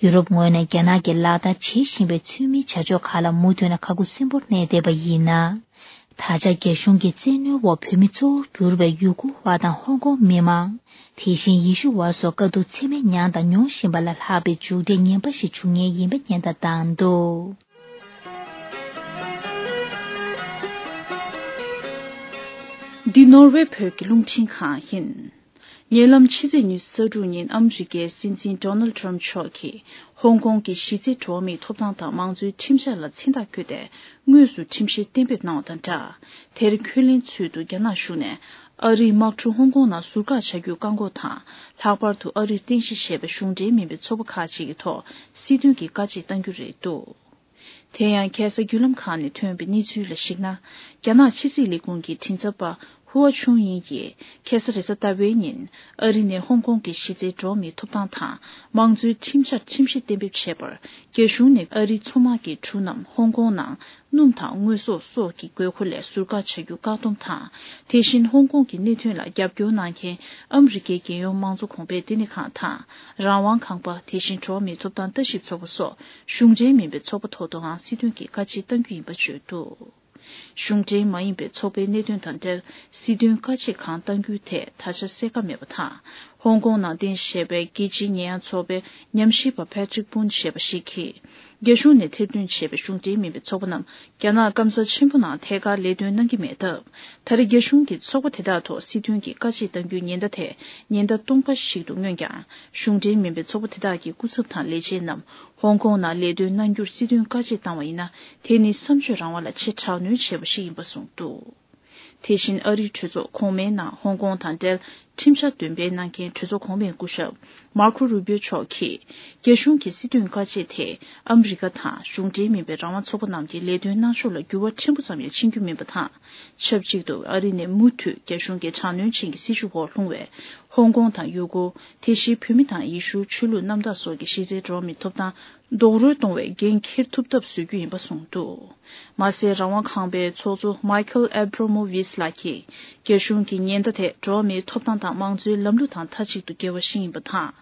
ཡུ་རོབ་ངོས་ནས་རྒྱ་ནག་གིས་ལག་བསྟར་བྱེད་བཞིན་པའི་ཚུལ་མིན་བྱ་སྤྱོད་ཁག་ལ་མུ་མཐུད་ནས་ཁ་ཁུ་སིམ་པོར་གནས་བསྡད་པ་ཡིན་ན། ད་ཆ་རྒྱ་གཞུང་གི་བཙན་གནོན་འོག་བོད་མི་གཙོ་བོར་གྱུར་པའི་ཡུ་གུར་བ་དང་ཧོང་ཀོང་མི་མང་། དེ་བཞིན་ཡེ་ཤུ་བ་སོགས་དཀའ་སྡུག་ཚད་མེད་མྱངས་དང་མྱོང་བཞིན་པ་ལ་ལྷག་པའི་མཇུག་འབྲས་ངན་པ་ཞིག་འབྱུང་ངེས་ཡིན་པ་ཉེན་བརྡ་བཏང་འདུག་འདི་ནོར་ཝེ་བོད་ཀྱི་རླུང་འཕྲིན་ཁང་ཡིན། ཉེ་ལམ་ཕྱི་ཚེས་ཉི་ཤུ་རྩ་དྲུག་ཉིན་ཨ་མི་རི་ཀའི་སྲིད་འཛིན་ཌོ་ནལ་ཊམ་མཆོག་གིས་ཧོང་ཀོང་གི་གཞི་རྩའི་འགྲོ་བ་མིའི་ཐོབ་ཐང་དང་མང་གཙོའི་ཁྲིམས་འཆར་ལ་མཚན་རྟགས་བཀོད་དེ། དངོས་སུ་ཁྲིམས་བཤེར་གཏན་འབེབས་གནང་བ་དང་སྦྲགས། དེར་འཁོན་ལན་ཚུལ་དུ་རྒྱ་ནག་གཞུང་ནས་ཨ་རིའི་དམག་གྲུ་ཧོང་ཀོང་ནང་ཟུར་བཀག་བྱ་རྒྱུའི་བཀག་འགོག་དང་། ལྷག་པར་དུ་ཨ་རིར་རྟེན་གཞི་བྱས་པའི་གཞུང་འབྲེལ་མིན་པའི་ཚོགས་པ་ཁག་ཅིག་གི་ཐོག་སྲིད་དོན་གྱི་བཀའ་ཆད་གཏང་རྒྱུ་རེད་འདུག་དེ་ཡང་ཁ་སང་བརྒྱུད་ལམ་ཁག་ནས་ཐོན་པའི་གནས་ཚུལ་ལ་གཞིགས་ན། རྒྱ་ནག་ཕྱི་སྲིད་ལས་ཁུངས་ཀྱི་མགྲིན་ཚབ་པ་ཧུའ་ཆུང་དབྱིང་གིས་ཁ་སང་རེས་གཟའ་ཟླ་བའི་ཉིན་ཨ་རི་ནས་ཧོང་ཀོང་གི་གཞི་རྩའི་འགྲོ་བ་མིའི་ཐོབ་ཐང་དང་མང་གཙོའི་ཁྲིམས་འཆར་ཁྲིམས་གཞི་གཏན་འབེབས་བྱས་པར། རྒྱ་གཞུང་ནས་ཨ་རིའི་མཚོ་དམག་གི་གྲུ་རྣམས་ཧོང་ཀོང་ནང་སྣུམ་དང་དངོས་ཟོག་སོགས་ཀྱི་དགོས་མཁོ་ལས་ཟུར་བཀག་བྱ་རྒྱུ་བཀག་སྡོམ་དང་། དེ་བཞིན་ཧོང་ཀོང་གི་གནད་དོན་ལ་རྒྱབ་སྐྱོར་གནང་མཁན་ཨ་མི་རི་ཀའི་རྒྱལ་ཡོངས་མང་གཙོ་གོང་འཕེལ་ལྟེ་གནས་ཁང་དང་། རང་དབང་ཁང་པ། དེ་བཞིན་འགྲོ་བ་མིའི་ཐོབ་ཐང་ལྟ་ཞིབ་ཚོགས་པ་སོགས་གཞུང་འབྲེལ་མིན་པའི་ཚོགས་པ་ཐོག་ཏུའང་སྲིད་དོན་གྱི་བཀའ་ཆད་གཏང་རྒྱུ་ཡིན་པ་བརྗོད་འདུག་གཞུང་འབྲེལ་མ་ཡིན་པའི་ཚོགས་པའི་གནད་དོན་དང་འབྲེལ་སྲིད་དོན་བཀའ་ཆད་གང་གཏང་རྒྱུའི་ཐད་ད་ཆ་གསལ་ཁ་མེད་པ་དང་། ཧོང་ཀོང་ནང་རྟེན་གཞི་བྱས་པའི་རྒྱལ་སྤྱིའི་ཉེས་ཡངས་ཚོགས་པའི་ཉམས་ཞིབ་པ་Patrick Boone་ཞེས་པ་ཞིག་གིས། རྒྱ་གཞུང་ནས་ཐེར་འདོན་བྱས་པའི་གཞུང་འབྲེལ་མིན་པའི་ཚོགས་པ་རྣམས་རྒྱ་ནག་སྐམ་ས་ཆེན་པོ་ནང་ཐད་ཀར་ལས་དོན་གནང་གི་མེད་སྟབས། ད་རེས་རྒྱ་གཞུང་གིས་ཚོགས་པ་དེ་དག་ཐོག་སྲིད་དོན་གྱི་བཀའ་ཆད་གཏང་རྒྱུའི་ཉེན་བརྡ་དེ་ཉེན་བརྡ་སྟོང་པ་ཞིག་ཏུ་མངོན་ཀྱང་། གཞུང་འབྲེལ་མིན་པའི་ཚོགས་པ་དེ་དག་གི་སྐུ་ཚབ་དང་ལས་བྱེད་རྣམས་ཧོང་ཀོང་ནང་ལས་དོན་གནང་རྒྱུར་སྲིད་དོན་བཀའ་ཆད་བཏང་བ་ཡིན་ན། དེ་ནི་བསམ་སྤྱོད་རང་དབང་ལ་ཆེས་དྲག་གནོན་བྱས་པ་ཞིག་ཡིན་པ་གསུངས་འདུག་དེ་བཞིན་ཨ་རིའི་གྲོས་ཚོགས་གོང་མའི་ནང་ཧོང་ཀོང་དང་འབྲེལ་ཁྲིམས་འཆར་འདོན་སྤེལ་གནང་མཁན་གྲོས་ཚོགས་གོང་མའི་སྐུ་ཞབས་མར་ཁོ་རུ་བྷིའོ་མཆོག་གིས། རྒྱ་གཞུང་གི་སྲིད་དོན་བཀའ་ཆད་དེ་ཨ་མི་རི་ཀ་དང་གཞུང་འབྲེལ་མིན་པའི་རང་དབང་ཚོགས་པ་རྣམས་ཀྱི་ལས་དོན་གནང་ཕྱོགས་ལ་འགྱུར་བ་ཕྲན་བུ་ཙམ་ཡང་ཕྱིན་རྒྱུ་མིན་པ་དང་། ཆབས་ཅིག་ཏུ་ཨ་རི་ནས་མུ་མཐུད་རྒྱ་གཞུང་གི་དྲག་གནོན་ཅན་གྱི་སྲིད་བྱུས་འོག་ལྷུང་བའི་ཧོང་ཀོང་དང་ཡུ་གུར། དེ་བཞིན་བོད་མི་དང་ཡེ་ཤུའི་ཆོས་ལུགས་རྣམ་དག་སོགས་ཀྱི་གཞི་རྩའི་འགྲོ་བ་མིའི་ཐོབ་ཐང་རྡོག་རོལ་གཏོང་བའི་འགན་འཁྱེར་ཐུབ་ཐབས་བཟོ་རྒྱུ་ཡིན་པ་གསུངས་འདུག་མ་ཟད་རང་དབང་ཁང་པའི་ཚོགས་གཙོ་Michael Abramovich་ལགས་ཀྱིས། རྒྱ་གཞུང་གི་ཉེན་བརྡ་དེ་འགྲོ་བ་མིའི་ཐོབ་ཐང་དང་མང་གཙོའི་ལམ་ལུགས་དང་མཐའ་གཅིག་ཏུ་འགལ་བ་ཞིག་ཡིན་པ་དང་།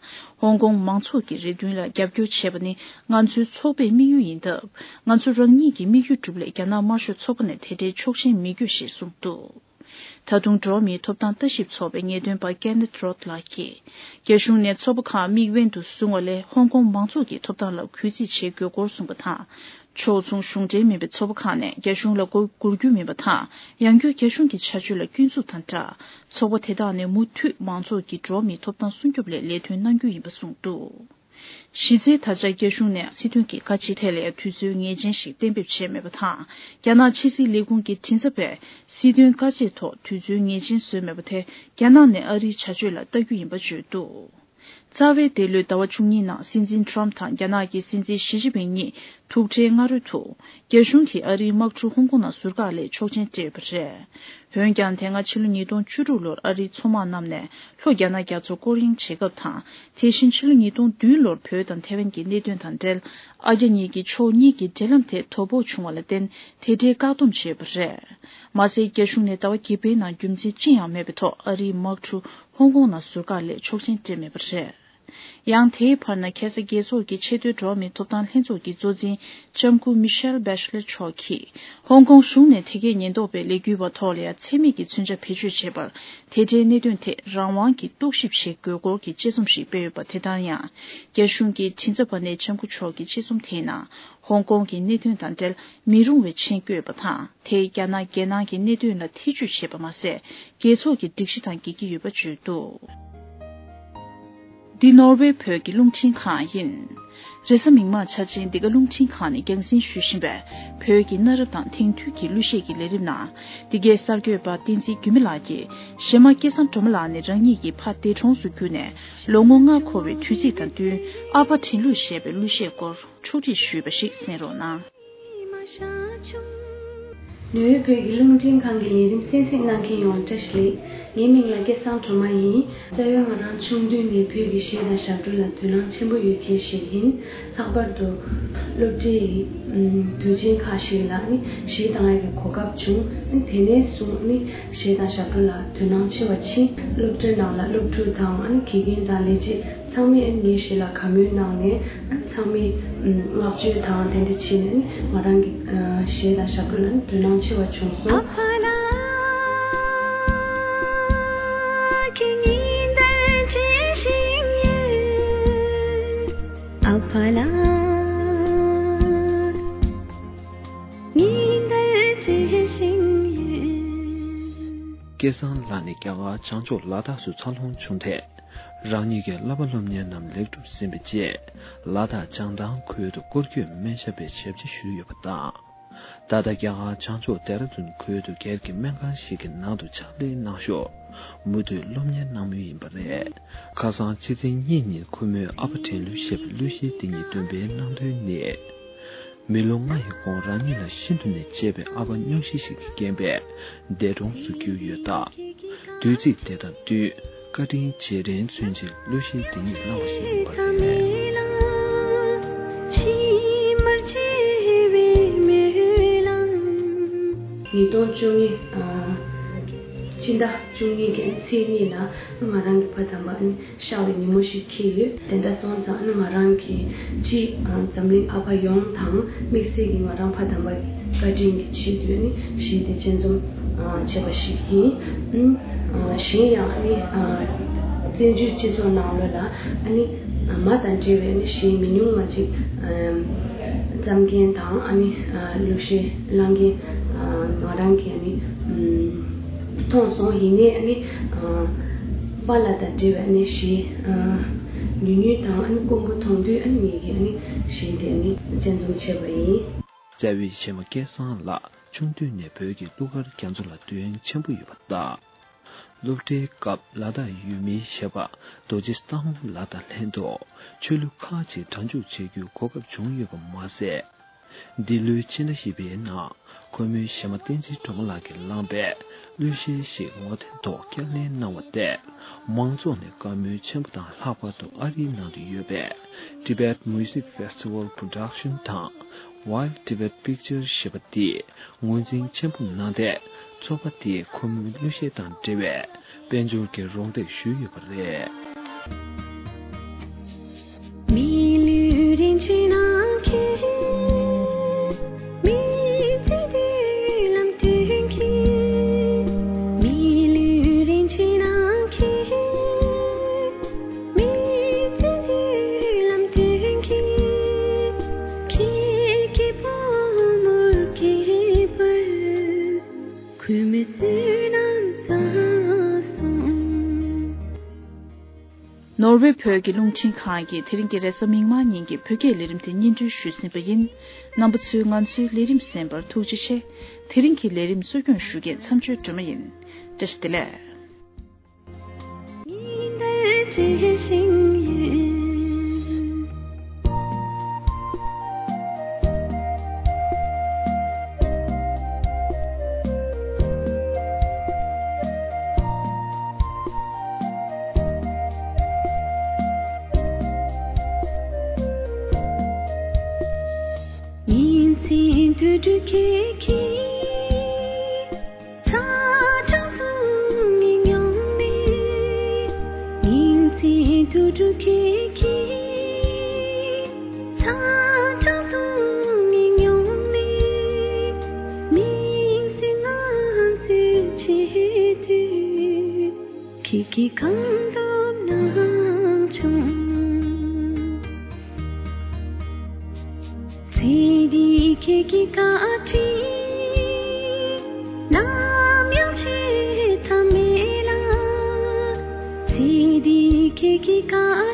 ཧོང་ཀོང་མང་ཚོགས་ཀྱི་རེ་འདུན་ལ་རྒྱབ་སྐྱོར་བྱེད་པ་ནི་ང་ཚོའི་ཚོགས་པའི་དམིགས་ཡུལ་ཡིན་སྟབས། ང་ཚོ་རང་ཉིད་ཀྱི་དམིགས་ཡུལ་སྒྲུབ་སླད་རྒྱ་ནག་དམར་ཤོག་ཚོགས་པ་ནས་དེ་འདྲའི་ཆོག་མཆན་མི་དགོས་ཞེས་གསུངས་འདུག་ད་དུང་འགྲོ་བ་མིའི་ཐོབ་ཐང་ལྟ་ཞིབ་ཚོགས་པའི་ངེས་སྟོན་པ་Kenneth Roth་ལགས་ཀྱིས། རྒྱ་གཞུང་ནས་ཚོགས་པ་ཁག་དམིགས་འབེན་དུ་བཟུང་བ་ལས་ཧོང་ཀོང་མང་ཚོགས་ཀྱི་ཐོབ་ཐང་ལ་གུས་བརྩི་བྱེད་དགོས་སྐོར་གསུངས་པ་དང་། ཕྱོགས་མཚུངས་གཞུང་འབྲེལ་མིན་པའི་ཚོགས་པ་ཁག་ནས་རྒྱ་གཞུང་ལ་མགོ་སྒུར་རྒྱུ་མིན་པ་དང་། ཡང་བསྐྱར་རྒྱ་གཞུང་གི་བྱ་སྤྱོད་ལ་སྐྱོན་འཛུགས་དང་སྦྲགས། ཚོགས་པ་དེ་དག་ནས་མུ་མཐུད་མང་ཚོགས་ཀྱི་འགྲོ་བ་མིའི་ཐོབ་ཐང་སྲུང་སྐྱོབ་སླད་ལས་དོན་གནང་རྒྱུ་ཡིན་པ་གསུངས་འདུག་གཞི་རྩའི་ད་ཆ་རྒྱ་གཞུང་ནས་སྲིད་དོན་གྱི་བཀའ་ཆད་ཐད་ལ་དུས་ཚོད་ངེས་ཅན་ཞིག་གཏན་འབེབས་བྱས་མེད་པ་དང་། རྒྱ་ནག་ཕྱི་སྲིད་ལས་ཁུངས་ཀྱི་མགྲིན་ཚབ་པས་སྲིད་དོན་བཀའ་ཆད་ཐོག་དུས་ཚོད་ངེས་ཅན་བཟོས་མེད་པ་དེ་རྒྱ་ནག་ནས་ཨ་རིའི་བྱ་སྤྱོད་ལ་ལྟ་རྒྱུ་ཡིན་པ་བརྗོད་འདུག་རྩ་བའི་འདི་ལོའི་ཟླ་བ་བཅུ་གཉིས་ནང་སྲིད་འཛིན་ཊམ་དང་རྒྱ་ནག་གི་སྲིད་འཛིན་ཞི་ཅིན་ཕིང་གཉིས་ཐུག་འཕྲད་སྔ་རོལ་དུ། རྒྱ་གཞུང་གིས་ཨ་རིའི་དམག་གྲུ་ཧོང་ཀོང་ནང་ཟུར་བཀག་སླད་ཆོག་མཆན་སྤྲད་ཡོད་པ་རེད། འོན་ཀྱང་དེ་སྔ་ཕྱི་ལོ་ཉིས་སྟོང་བཅུ་དྲུག་ལོར་ཨ་རིའི་མཚོ་དམག་རྣམས་ནས་ལྷོ་རྒྱ་ནག་རྒྱ་མཚོ་སྐོར་གཡེང་བྱེད་སྐབས་དང་། དེ་བཞིན་ཕྱི་ལོ་ཉིས་སྟོང་བདུན་ལོར་བོད་དང་ཐེ་ཝན་གྱི་གནད་དོན་དང་འབྲེལ། ཨ་རྒྱ་གཉིས་ཀྱི་ཕྱོགས་གཉིས་ཀྱི་འབྲེལ་ལམ་དེ་དོ་ཕོག་བྱུང་བ་ལ་བརྟེན། དེ་འབྲེལ་བཀག་སྡོམ་བྱས་ཡོད་པ་རེད། མ་ཟད། རྒྱ་གཞུང་ནས་ཟླ་བ་བརྒྱད་པའི་ནང་རྒྱུ་མཚན་ཅི་ཡང་མེད་པའི་ཐོག་ཨ་རིའི་དམག་གྲུ་ཧོང་ཀོང་ནང་ཟུར་བཀག་སླད་ཆོག་མཆན་སྤྲད་མེད་པ་རེད། ཡང་དེའི་བར་ན་ཁ་ས་རྒྱལ་ཚོགས་ཀྱི་ཆེས་མཐོའི་འགྲོ་བ་མིའི་ཐོབ་ཐང་ལྷན་ཚོགས་ཀྱི་གཙོ་འཛིན་ལྕམ་སྐུ་མི་ཤེལ་བྷེ་ཤ་ལེ་མཆོག་གིས། ཧོང་ཀོང་གཞུང་ནས་དེ་གའི་ཉེན་རྟོག་པའི་ལས་འགུལ་བ་ཐོག་ལ་ཡང་འཚེ་མེད་ཀྱི་མཚོན་ཆ་བེད་སྤྱོད་བྱས་པར། དེ་འབྲེལ་གནད་དོན་ཐད་རང་དབང་གིས་རྟོག་ཞིབ་བྱེད་དགོས་སྐོར་གྱི་དཔྱད་རྩོམ་ཞིག་སྤེལ་ཡོད་པ། དེ་ལྟར་ཡང་། རྒྱ་གཞུང་གི་མགྲིན་ཚབ་པ་ནས་ལྕམ་སྐུ་མཆོག་གི་དཔྱད་རྩོམ་དེའི་ནང་། ཧོང་ཀོང་གི་གནད་དོན་དང་འབྲེལ་མི་རུང་བའི་མཆན་བཀོད་པ་དང་། དེས་རྒྱ་ནག་རྒྱལ་ནང་གི་གནད་དོན་ལ་ཐེ་ཇུས་བྱས་པ་མ་ཟད། རྒྱལ་ཚོགས་ཀྱི་སྒྲིག་གཞི་དང་འགལ་གྱི་ཡོད་པ་བརྗོད་འདུག། འདི་ནོར་ཝེ་བོད་ཀྱི་རླུང་འཕྲིན་ཁང་ཡིན། རེས་གཟའ་མིག་དམར་འཆར་ཅན་འདི་ག་རླུང་འཕྲིན་ཁང་ནས་རྒྱང་སྲིང་ཞུ་བཞིན་པའི་བོད་ཀྱི་གནའ་རབས་དང་དེང་དུས་ཀྱི་གླུ་གཞས་ཀྱི་ལས་རིམ་ནང་། འདི་གའི་གསར་འགོད་པ་བསྟན་འཛིན་འགྱུར་མེད་ལགས་ཀྱིས་གཞས་མ་སྐལ་བཟང་སྒྲོལ་མ་ལགས་ནས་རང་ཉིད་ཀྱི་ཕ་འདས་གྲོངས་སུ་གྱུར་ནས་ལོ་ངོ་ལྔ་འཁོར་བའི་དུས་ཚིགས་དང་བསྟུན། ཨ་ཕ་དྲན་གླུ་ཞེས་པའི་གླུ་གཞས་སྐོར་འཁྲུག་སྒྲིག་ཞུས་པ་ཞིག་གསན་རོགས་གནང་། ནུས་བོད་ཀྱི་རླུང་འཕྲིན་ཁང་གི་ལས་རིམ་གསན་གཟིགས་གནང་མཁན་ཡོངས་ལ་བཀྲ་ཤིས་བདེ་ལེགས། ངའི་མིང་ལ་སྐལ་བཟང་སྒྲོལ་མ་ཡིན། རྩ་བའི་ང་རང་ཆུང་དུས་ནས་བོད་ཀྱི་གཞས་དང་ཞབས་བྲོ་ལ་དོ་སྣང་ཆེན་པོ་ཡོད་མཁན་ཞིག་ཡིན། ལྷག་པར་དུ་སློབ་གྲྭའི་དུས་ཆེན་ཁག་ཞིག་ལ་ནི་གཞས་གཏོང་ཡག་གི་གོ་སྐབས་བྱུང་། དེ་ནས་བཟུང་ནི་གཞས་དང་ཞབས་བྲོ་ལ་དོ་སྣང་ཆེ་བ་ཕྱིན། སློབ་གྲྭའི་ནང་ལ་སློབ་ཕྲུག་དང་ཨ་ནི་དགེ་རྒན་དང་ལས་བྱེད་ཚང་མས་ཨ་ནི་ངའི་གཞས་ལ་དགའ་མོས་གནང་ནས། ཨ་ནི་ཚང་མས་བསྔགས་བརྗོད་དང་དེ་འདྲ་བྱས་ནས་ཨ་ནི་ང་རང་གི་གཞས་དང་ཞབས་བྲོ་ལ་ཨ་ནི་དོ་སྣང་ཆེ་བ་བྱུང་སོང་། ཨ་ཕ་ལགས། ཉིན་ལྟར་བརྗེད་བཞིན་ཡོད། སྐལ་བཟང་ལགས་ནི་རྒྱ་གར་བྱང་ཕྱོགས་ལ་དྭགས་སུ་འཚར་ལོངས་བྱུང་སྟེ། རང་ཉིད་ཀྱི་བསླབ་པ་སློབ་གཉེར་རྣམས་ལེགས་གྲུབ་ཟིན་པའི་རྗེས། ལ་དྭགས་བྱང་ཐང་ཁུལ་དུ་སྐོར་སྐྱོད་སྨན་ཞབས་པའི་ཞབས་ཕྱི་ཞུས་ཡོད་པ་དང་། ད་ལྟ་རྒྱ་གར་བྱང་ཕྱོགས་ལྡེ་ར་ལྡུན་ཁུལ་དུ་སྒེར་གྱི་སྨན་ཁང་ཞིག་གི་ནང་དུ་ཕྱག་ལས་གནང་ཞོར། མུ་མཐུད་སློབ་གཉེར་གནང་མུས་ཡིན་པ་རེད། ཁ་སང་ཕྱི་ཚེས་གཉིས་ཉིན་ཁོ་མོས་ཨ་ཕ་དྲན་གླུ་ཞེས་པའི་གླུ་གཞས་འདི་ཉིད་འདོན་སྤེལ་གནང་དོན་ནི། མི་ལོ་ལྔ་ཡི་གོང་རང་ཉིད་ལ་ཤིན་ཏུ་ནས་གཅེས་པའི་ཨ་ཕ་སྙུང་གཞི་ཞིག་གི་རྐྱེན་པས་འདས་གྲོངས་སུ་གྱུར་ཡོད་སྟབས། དུས་ཚིགས་དེ་དང་བསྟུན་བཀའ་དྲིན་རྗེས་དྲན་མཚོན་ཆེད་གླུ་གཞས་འདི་ཉིད་བླངས་པ་ཞིག་ཡིན་པ་རེད། ཉིས་སྟོང་བཅུ་གཉིས། ཨ། སྤྱི་ཟླ་བཅུ་གཉིས་ཀྱི་ཚེས་གཉིས་ལ་ང་རང་གི་ཕ་དམ་པ་ནི་གཤགས་པའི་ཉིན་མོ་ཞིག་འཁེལ་ཡོད། དེ་འདྲ་སོང་ཙང་ནི་ང་རང་གིས་སྤྱི་འཛམ་གླིང་ཨ་ཕ་ཡོངས་དང་དམིགས་བསལ་གྱིས་ང་རང་ཕ་དམ་པ་བཀའ་དྲིན་གྱི་ཆེད་དུ་ནི་གཞས་དེ་སྤྱན་འཛོམས་བྱས་པ་ཞིག་ཡིན། གཞན་ཡང་ནི་བཙན་བྱོལ་སྤྱི་ཚོགས་ནང་ལོགས་ལ་ནི་མ་དང་འབྲེལ་བའི་ནི་གཞས་མི་ཉུང་བ་ཅིག་བརྩམས་མཁན་དང་ནི་གླུ་གཞས་བླངས་མཁན་ང་རང་གིས་ནི་མཐོང་སོང་། ཡིན་ནའི་ནི་པཱ་ལགས་དང་འབྲེལ་བའི་ནི་གཞས་ཉུང་ཉུང་དང་ནི་དཀོན་པོ་མཐོང་དུས་ནི་ངེད་ཀྱིས་ནི་གཞས་དེ་ནི་སྤྱན་འཛོམས་བྱས་པ་ཡིན། རྩ་བའི་གཞས་མ་སྐལ་བཟང་ལགས་ཆུང་དུས་ནས་བོད་ཀྱི་གླུ་གར་རྒྱ་མཚོ་ལ་དོ་སྣང་ཆེན་པོ་ཡོད་པ་དང་། སློབ་གྲྭའི་སྐབས་ལ་དྭགས་ཡུལ་མིའི་གཞས་པ་རྡོ་རྗེ་སྟག་མོ་ལགས་དང་ལྷན་དུ་ཆོས་གླུ་ཁག་ཅིག་སྒྲ་འཇུག་བྱེད་རྒྱུའི་གོ་སྐབས་བྱུང་ཡོད་པ་མ་ཟད། འདི་ལོའི་ཕྱི་ཟླ་བཞི་པའི་ནང་ཁོ་མོའི་གཞས་མ་བསྟན་འཛིན་སྒྲོལ་མ་ལགས་ཀྱིས་བླངས་པའི་གླུ་གཞས་ཤིག་ངོ་དེབ་ཐོག་བསྐྱར་ལེན་གནང་བ་དེས་མང་ཚོགས་ནས་བཀའ་མོལ་ཆེན་པོ་དང་། ལྷག་པར་དུ་ཨ་རིའི་ནང་དུ་ཡོད་པའི་Tibet Music Festival Production དང་Wild Tibet Pictures ཞེས་པ་འདིས་ངོས་འཛིན་ཆེན་པོ་གནང་སྟེ། ཚོགས་པ་དེས་ཁོ་མོའི་གླུ་གཞས་དང་འབྲེལ་བའི་དཔལ་འབྱོར་གྱི་རོགས་འདེགས་ཞུས་ཡོད་པ་རེད། མི་ལུས་རིན་ཆེན་ནང་ཁྱེར། མི་ཚེ་མདུན་ལམ་སྟོན་མཁན། མི་ལུས་རིན་ཆེན་ནང་ཁྱེར། མི་ཚེ་མདུན་ལམ་སྟོན་མཁན། ཁྱེད་ཀྱི་བུ་མོར་སྐྱེས་པར། ནོར་ཝེ་བོད་ཀྱི་རླུང་འཕྲིན་ཁང་གིས་དེ་རིང་གི་རེས་གཟའ་མིག་དམར་ཉིན་གྱི་བོད་སྐད་ལས་རིམ་དེ་སྙན་སྒྲོན་ཞུས་ཟིན་པ་ཡིན། རྣམ་པ་ཚོས་ང་ཚོའི་ལས་རིམ་གསན་པར་ཐུགས་རྗེ་ཆེ། དེ་རིང་གི་ལས་རིམ་གཙོ་སྐྱོང་ཞུ་མཁན་མཚམས་གཅོད་སྒྲོལ་མ་ཡིན། བཀྲ་ཤིས་བདེ་ལེགས། གང་འདུག་ན་བྱུང་། ཚེ་འདི་ཁྱེད་ཀྱི་བཀའ་དྲིན། ནམ་ཡང་ཆད་ཐབས་མེད་ལ། ཚེ་འདི་ཁྱེད་ཀྱི་བཀའ།